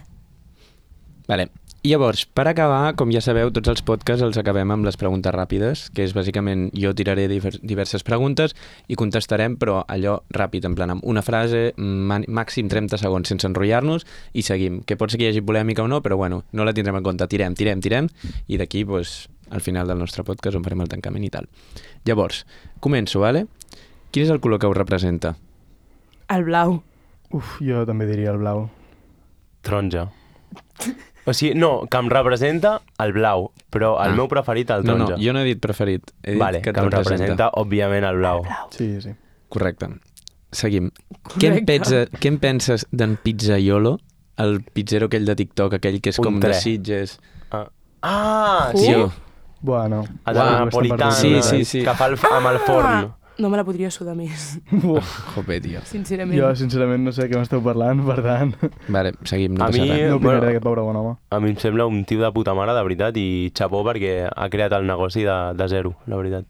Speaker 3: Vale. I llavors, per acabar, com ja sabeu, tots els podcasts els acabem amb les preguntes ràpides, que és bàsicament jo tiraré diverses preguntes i contestarem, però allò ràpid, en plan amb una frase, màxim 30 segons sense enrotllar-nos i seguim. Que pot ser que hi hagi polèmica o no, però bueno, no la tindrem en compte. Tirem, i d'aquí, pues, al final del nostre podcast on farem el tancament i tal. Llavors, començo, vale? Quin és el color que us representa?
Speaker 1: El blau.
Speaker 4: Uf, jo també diria el blau.
Speaker 2: Taronja. O sigui, no, que em representa el blau, però el meu preferit el taronja.
Speaker 3: No, jo no he dit preferit. He dit
Speaker 2: Vale,
Speaker 3: que
Speaker 2: que em representa, òbviament, el blau.
Speaker 4: Sí, sí.
Speaker 3: Correcte. Seguim.
Speaker 1: Correcte.
Speaker 3: Què en penses d'en Pizzaiolo, el pizzero aquell de TikTok, aquell que és com
Speaker 2: Un
Speaker 3: de
Speaker 2: tre.
Speaker 3: Sitges?
Speaker 2: Sí,
Speaker 4: Bueno.
Speaker 2: el de la napolitana,
Speaker 3: Sí.
Speaker 2: que fa amb el forn.
Speaker 1: No me la podria sudar més,
Speaker 3: Jope, tio.
Speaker 1: sincerament.
Speaker 4: Jo, sincerament, no sé de què m'esteu parlant, per tant,
Speaker 3: Vale, seguim, no
Speaker 2: A
Speaker 3: passa
Speaker 2: mi-
Speaker 3: res.
Speaker 4: no opinaré
Speaker 2: bueno.
Speaker 4: d'aquest pobre bon home.
Speaker 2: A mi em sembla un tio de puta mare, de veritat, i xapó perquè ha creat el negoci de zero, la veritat.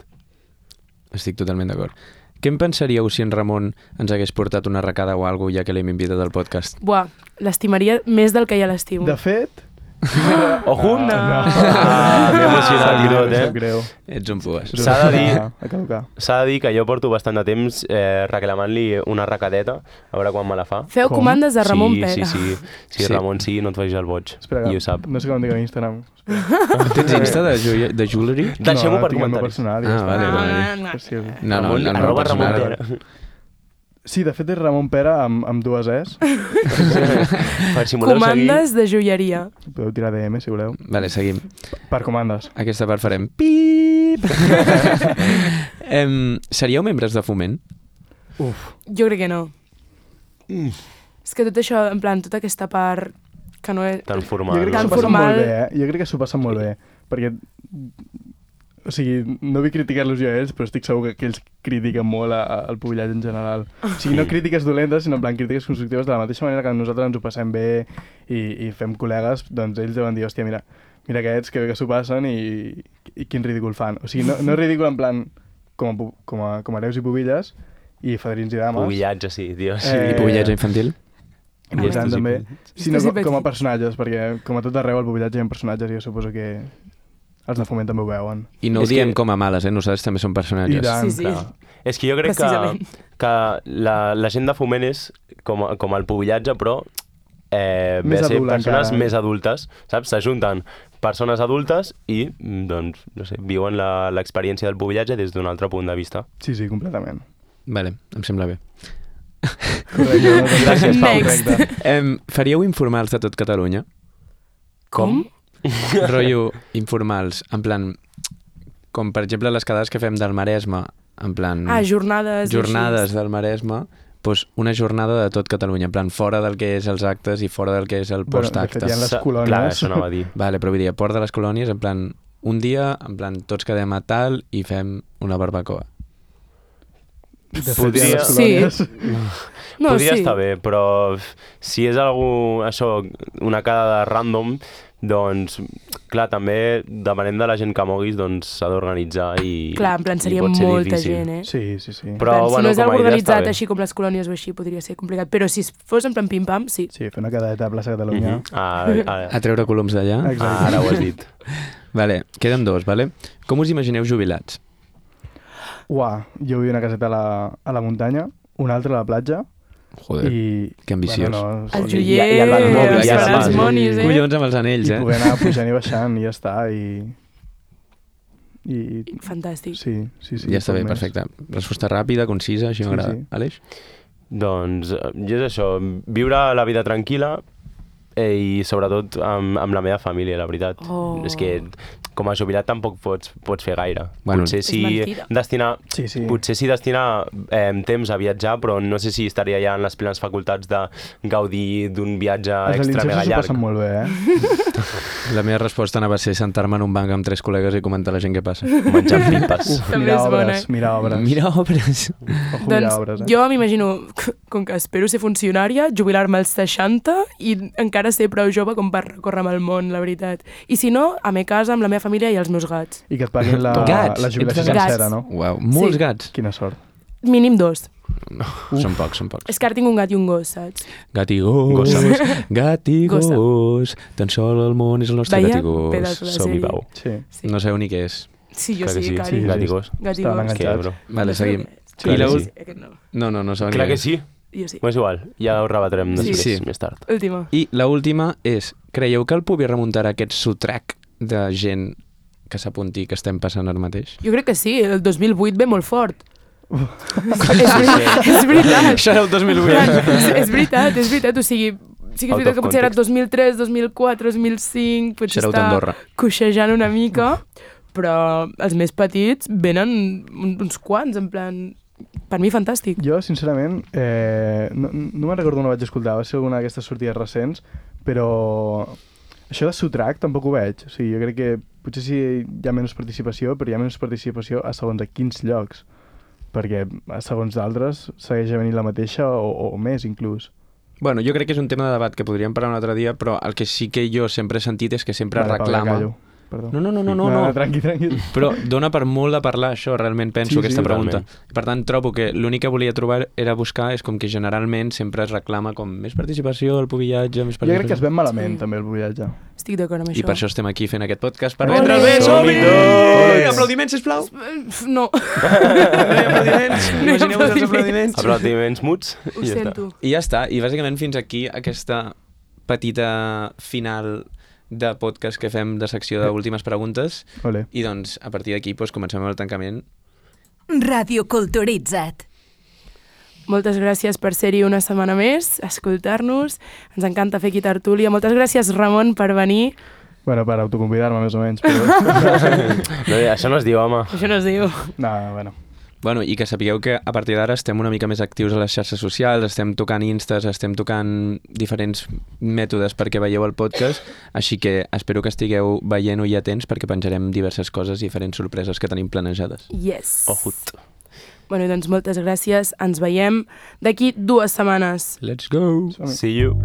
Speaker 3: Estic totalment d'acord. Què en pensaríeu si en Ramon ens hagués portat una arracada o alguna cosa ja que l'hem invitat al podcast?
Speaker 1: Buah, l'estimaria més del que ja l'estimo.
Speaker 4: De fet...
Speaker 2: Ojo!
Speaker 1: No.
Speaker 2: M'he emocionat i tot,
Speaker 4: Em sap greu.
Speaker 3: Ets un pues.
Speaker 2: S'ha de dir-
Speaker 4: A caducar.
Speaker 2: S'ha de dir que jo porto bastant de temps reclamant-li una arracadeta, a veure quan me la fa.
Speaker 1: Feu
Speaker 4: Com?
Speaker 1: comandes de Ramon
Speaker 2: sí,
Speaker 1: Pera.
Speaker 2: Sí,
Speaker 3: Sí.
Speaker 2: Ramon, sí, no et facis el boig.
Speaker 4: Espera,
Speaker 2: I ho sap.
Speaker 4: no sé com em dic a Instagram.
Speaker 3: Tens Insta de jewelry?
Speaker 2: Deixem-ho per
Speaker 4: tinc el meu
Speaker 2: comentaris.
Speaker 4: personal. i
Speaker 3: Ah,
Speaker 4: ja està.
Speaker 3: vale, vale.
Speaker 4: Per si-
Speaker 3: No, no, el meu
Speaker 2: arroba Ramon
Speaker 3: personal.
Speaker 2: Pera.
Speaker 4: Sí, de fet és Ramon Pera amb dues Es.
Speaker 2: Per si voleu
Speaker 1: Comandes de joieria.
Speaker 4: Podeu tirar DM si voleu.
Speaker 3: Vale, seguim.
Speaker 4: Per comandes.
Speaker 3: Aquesta part farem pip. Seríeu membres de Foment?
Speaker 4: Uf,
Speaker 1: Jo crec que no. És que tot això, en plan, tota aquesta part que no és...
Speaker 2: Tan
Speaker 4: jo
Speaker 2: formal.
Speaker 4: crec que
Speaker 1: Tan
Speaker 4: s'ho passen
Speaker 1: formal.
Speaker 4: molt bé, Jo crec que s'ho passen molt bé. Perquè, o sigui, no vull criticar-los jo a ells, però estic segur que ells critiquen molt al pubillatge en general. O sigui, no crítiques dolentes, sinó en plan crítiques constructives de la mateixa manera que nosaltres ens ho passem bé i fem col·legues, doncs ells deuen dir, hòstia, mira aquests, que bé que s'ho passen i quin ridícul fan. O sigui, no ridícul en plan com a hereus i pubilles i fadrins i dames.
Speaker 2: Pubillatge, sí, tio. Sí.
Speaker 3: I pubillatge infantil?
Speaker 4: I per tant,
Speaker 2: Estos i
Speaker 4: també,
Speaker 2: petits.
Speaker 4: sinó
Speaker 1: Estos i
Speaker 4: com a
Speaker 1: petits.
Speaker 4: personatges, perquè com a tot arreu el pubillatge hi ha personatges i jo suposo que els de Foment també ho veuen.
Speaker 3: I no ho
Speaker 2: És que-
Speaker 3: diem com a males, nosaltres també som personatges.
Speaker 4: I tant,
Speaker 1: Sí, sí.
Speaker 4: clar.
Speaker 2: És que jo crec
Speaker 1: Precisament.
Speaker 2: que la gent de Foment és com el pubillatge, però ve
Speaker 4: Més
Speaker 2: a ser
Speaker 4: adult
Speaker 2: persones
Speaker 4: encara.
Speaker 2: més adultes, saps? S'ajunten persones adultes i, doncs, no sé, viuen l'experiència del pubillatge des d'un altre punt de vista.
Speaker 4: Sí, sí, completament.
Speaker 3: Vale, em sembla bé.
Speaker 4: Correcte.
Speaker 2: Gràcies, Pau.
Speaker 1: Next.
Speaker 4: Correcte.
Speaker 3: Faríeu informals de tot Catalunya?
Speaker 1: Com?
Speaker 3: Rotllo informals, en plan, com per exemple les quedades que fem del Maresme, en plan...
Speaker 1: Ah, jornades. i
Speaker 3: jornades
Speaker 1: així.
Speaker 3: del Maresme, doncs una jornada de tot Catalunya, en plan fora del que és els actes i fora del que és el
Speaker 4: Bueno, de
Speaker 3: postacte.
Speaker 4: fet, hi ha les
Speaker 2: Clar,
Speaker 4: colònies.
Speaker 2: això anava a dir.
Speaker 3: Vale, però vull dir, a Port de les Colònies, en plan, un dia, en plan, tots quedem a tal i fem una barbacoa.
Speaker 4: De fet,
Speaker 2: Podria-
Speaker 4: hi ha les
Speaker 1: Sí.
Speaker 4: colònies.
Speaker 1: No,
Speaker 2: Podria
Speaker 1: sí.
Speaker 2: estar bé, però si és algú, això, una quedada random, doncs, clar, també, depenent de la gent que moguis, doncs s'ha d'organitzar i
Speaker 1: Clar, en plan,
Speaker 2: i
Speaker 1: seria
Speaker 2: pot ser
Speaker 1: molta
Speaker 2: difícil.
Speaker 1: gent, eh?
Speaker 4: Sí, sí, sí.
Speaker 2: Però,
Speaker 1: En plan, si
Speaker 2: bueno,
Speaker 1: no és
Speaker 2: com a
Speaker 1: algo
Speaker 2: idea
Speaker 1: organitzat
Speaker 2: està bé.
Speaker 1: així com les colònies o així, podria ser complicat. Però si fos en plan pim-pam, sí.
Speaker 4: Sí, fer una quedadeta a plaça Catalunya.
Speaker 3: A treure coloms d'allà.
Speaker 4: Exacte.
Speaker 2: Ara ho has dit.
Speaker 3: Vale, queden dos, vale? Com us imagineu jubilats?
Speaker 4: Uah, jo vull una caseta a la muntanya, una altra a la platja.
Speaker 3: Joder,
Speaker 4: I,
Speaker 3: que ambiciós.
Speaker 4: Bueno, no,
Speaker 1: El
Speaker 2: I-
Speaker 1: joier,
Speaker 2: i el Batmòbil,
Speaker 1: els
Speaker 2: ja
Speaker 1: faràs
Speaker 2: està.
Speaker 1: monis, eh?
Speaker 3: Collons amb els anells,
Speaker 4: i poder
Speaker 3: eh?
Speaker 4: anar pujant i baixant i ja està. I
Speaker 1: Fantàstic.
Speaker 4: sí, sí, sí.
Speaker 3: Ja està
Speaker 4: poc
Speaker 3: bé,
Speaker 4: més.
Speaker 3: perfecte. Resposta ràpida, concisa, així
Speaker 4: Sí,
Speaker 3: m'agrada.
Speaker 4: sí.
Speaker 3: Aleix?
Speaker 2: Doncs jo és això, viure la vida tranquil·la i sobretot amb la meva família, la veritat.
Speaker 1: Oh.
Speaker 2: És que com a jubilat tampoc pots fer gaire.
Speaker 3: Bueno,
Speaker 2: potser
Speaker 1: És mentida.
Speaker 4: Sí, sí.
Speaker 2: Potser sí destinar temps a viatjar, però no sé si estaria ja en les plenes facultats de gaudir d'un viatge
Speaker 4: Els
Speaker 2: extra mega
Speaker 4: alincers s'ho
Speaker 2: llarg.
Speaker 4: passen molt bé, eh?
Speaker 3: La meva resposta anava a ser sentar-me en un banc amb 3 col·legues i comentar la gent que passa.
Speaker 2: Menjant pipes.
Speaker 4: Uf,
Speaker 1: També
Speaker 4: mirar
Speaker 1: és bona,
Speaker 4: obres,
Speaker 1: eh?
Speaker 4: mirar obres.
Speaker 3: Mira obres.
Speaker 4: Ojo, mirar
Speaker 1: Doncs
Speaker 4: obres,
Speaker 1: jo m'imagino, com que espero ser funcionària, jubilar-me als 60 i encara ser prou jove com per recórrer amb el món, la veritat. I si no, a me casa, amb la meva família i els meus gats.
Speaker 4: I que et paguin
Speaker 3: Gats.
Speaker 4: la jubilació
Speaker 1: Gats.
Speaker 4: sencera, no?
Speaker 3: Uau, molts
Speaker 1: Sí.
Speaker 3: gats.
Speaker 4: Quina sort.
Speaker 1: Mínim 2.
Speaker 3: Són pocs, són pocs.
Speaker 1: És que ara tinc un gat i un gos, saps?
Speaker 3: Gat i gos,
Speaker 2: Gossa.
Speaker 3: gat i
Speaker 1: Gossa.
Speaker 3: gos, tan sol el món és el nostre
Speaker 1: Veia
Speaker 3: gat i gos.
Speaker 1: pedaç de
Speaker 2: Som-hi,
Speaker 1: sèrie.
Speaker 2: Pau.
Speaker 4: Sí.
Speaker 1: Sí,
Speaker 3: No sabeu ni què és.
Speaker 1: sí jo
Speaker 2: Clar que
Speaker 1: sí,
Speaker 2: sí.
Speaker 1: cari.
Speaker 4: Sí,
Speaker 2: Gat i gos.
Speaker 1: Gat i
Speaker 4: Estaven
Speaker 1: gos.
Speaker 2: És que,
Speaker 4: enganxats.
Speaker 2: bro.
Speaker 3: Vale, seguim.
Speaker 1: Sí,
Speaker 3: I la
Speaker 2: que
Speaker 3: ul-
Speaker 2: sí.
Speaker 1: Aquest no.
Speaker 3: No sabeu ni
Speaker 2: Clar
Speaker 3: què
Speaker 2: que
Speaker 3: és.
Speaker 2: sí.
Speaker 1: Jo sí.
Speaker 2: És igual, ja ho rebatrem
Speaker 1: Sí.
Speaker 2: després,
Speaker 3: Sí.
Speaker 2: més tard.
Speaker 1: Última.
Speaker 3: I la última és, creieu que el pugui remuntar aquest sotrac de gent que s'apunti que estem passant ara mateix?
Speaker 1: Jo crec que sí, el 2008 ve molt fort. és veritat.
Speaker 3: Això era el 2008.
Speaker 1: És veritat, o sigui, sí que és
Speaker 2: Out
Speaker 1: veritat
Speaker 2: of
Speaker 1: que potser era
Speaker 2: context.
Speaker 1: 2003, 2004, 2005, potser
Speaker 3: Sereu
Speaker 1: està
Speaker 3: d'Andorra.
Speaker 1: coixejant una mica, però els més petits venen uns quants, en plan, per mi fantàstic.
Speaker 4: Jo, sincerament, no me'n recordo on ho vaig escoltar, va ser alguna d'aquestes sortides recents, però això de sotrac tampoc ho veig. O sigui, jo crec que potser sí hi ha menys participació, però hi ha menys participació a segons a quins llocs, perquè a segons d'altres segueix venint la mateixa o més, inclús.
Speaker 3: Bueno, jo crec que és un tema de debat que podríem parlar un altre dia, però el que sí que jo sempre he sentit és que sempre
Speaker 4: Vale, Pau, ja
Speaker 3: reclama...
Speaker 4: callo. Perdó.
Speaker 3: No.
Speaker 4: Tranqui.
Speaker 3: Però dona per molt de parlar això, realment penso,
Speaker 4: Sí,
Speaker 3: aquesta
Speaker 4: sí,
Speaker 3: pregunta.
Speaker 2: totalment.
Speaker 3: Per tant, trobo que l'únic que volia trobar era buscar és com que generalment sempre es reclama com més participació, el pubillatge, més
Speaker 4: Jo crec que es
Speaker 3: participació.
Speaker 4: ven malament,
Speaker 1: Sí.
Speaker 4: també, el buidatge.
Speaker 1: Estic d'acord amb
Speaker 3: I
Speaker 1: això.
Speaker 3: per això estem aquí fent aquest podcast, per
Speaker 1: Ole!
Speaker 3: vendre el bé.
Speaker 2: Som-hi
Speaker 3: Som-hi!
Speaker 2: tots!
Speaker 3: Aplaudiments, sisplau!
Speaker 1: No,
Speaker 3: No hi ha aplaudiments?
Speaker 1: No hi ha
Speaker 3: Imagineu-vos els
Speaker 1: aplaudiments.
Speaker 3: aplaudiments.
Speaker 2: Aplaudiments muts
Speaker 1: ho
Speaker 2: i ja està.
Speaker 1: sento.
Speaker 3: I ja està, i bàsicament fins aquí aquesta petita final de podcast que fem de secció d'últimes preguntes
Speaker 4: Ole.
Speaker 3: i doncs a partir d'aquí doncs, comencem amb el tancament.
Speaker 5: Radio Culturitzat.
Speaker 1: Moltes gràcies per ser-hi una setmana més, escoltar-nos. Ens encanta fer aquí tertúlia. Moltes gràcies, Ramon, per venir.
Speaker 4: Bueno, per autoconvidar-me, més o menys. Però...
Speaker 2: No, això no es diu, home.
Speaker 1: Això no es diu.
Speaker 4: no, bueno.
Speaker 3: Bueno, i que sapigueu que a partir d'ara estem una mica més actius a les xarxes socials, estem tocant instes, estem tocant diferents mètodes perquè veieu el podcast, així que espero que estigueu veient-ho i atents perquè penjarem diverses coses i diferents sorpreses que tenim planejades.
Speaker 1: Yes.
Speaker 2: Ojut.
Speaker 1: Bueno, doncs moltes gràcies. Ens veiem d'aquí 2 setmanes.
Speaker 3: Let's go!
Speaker 2: See you.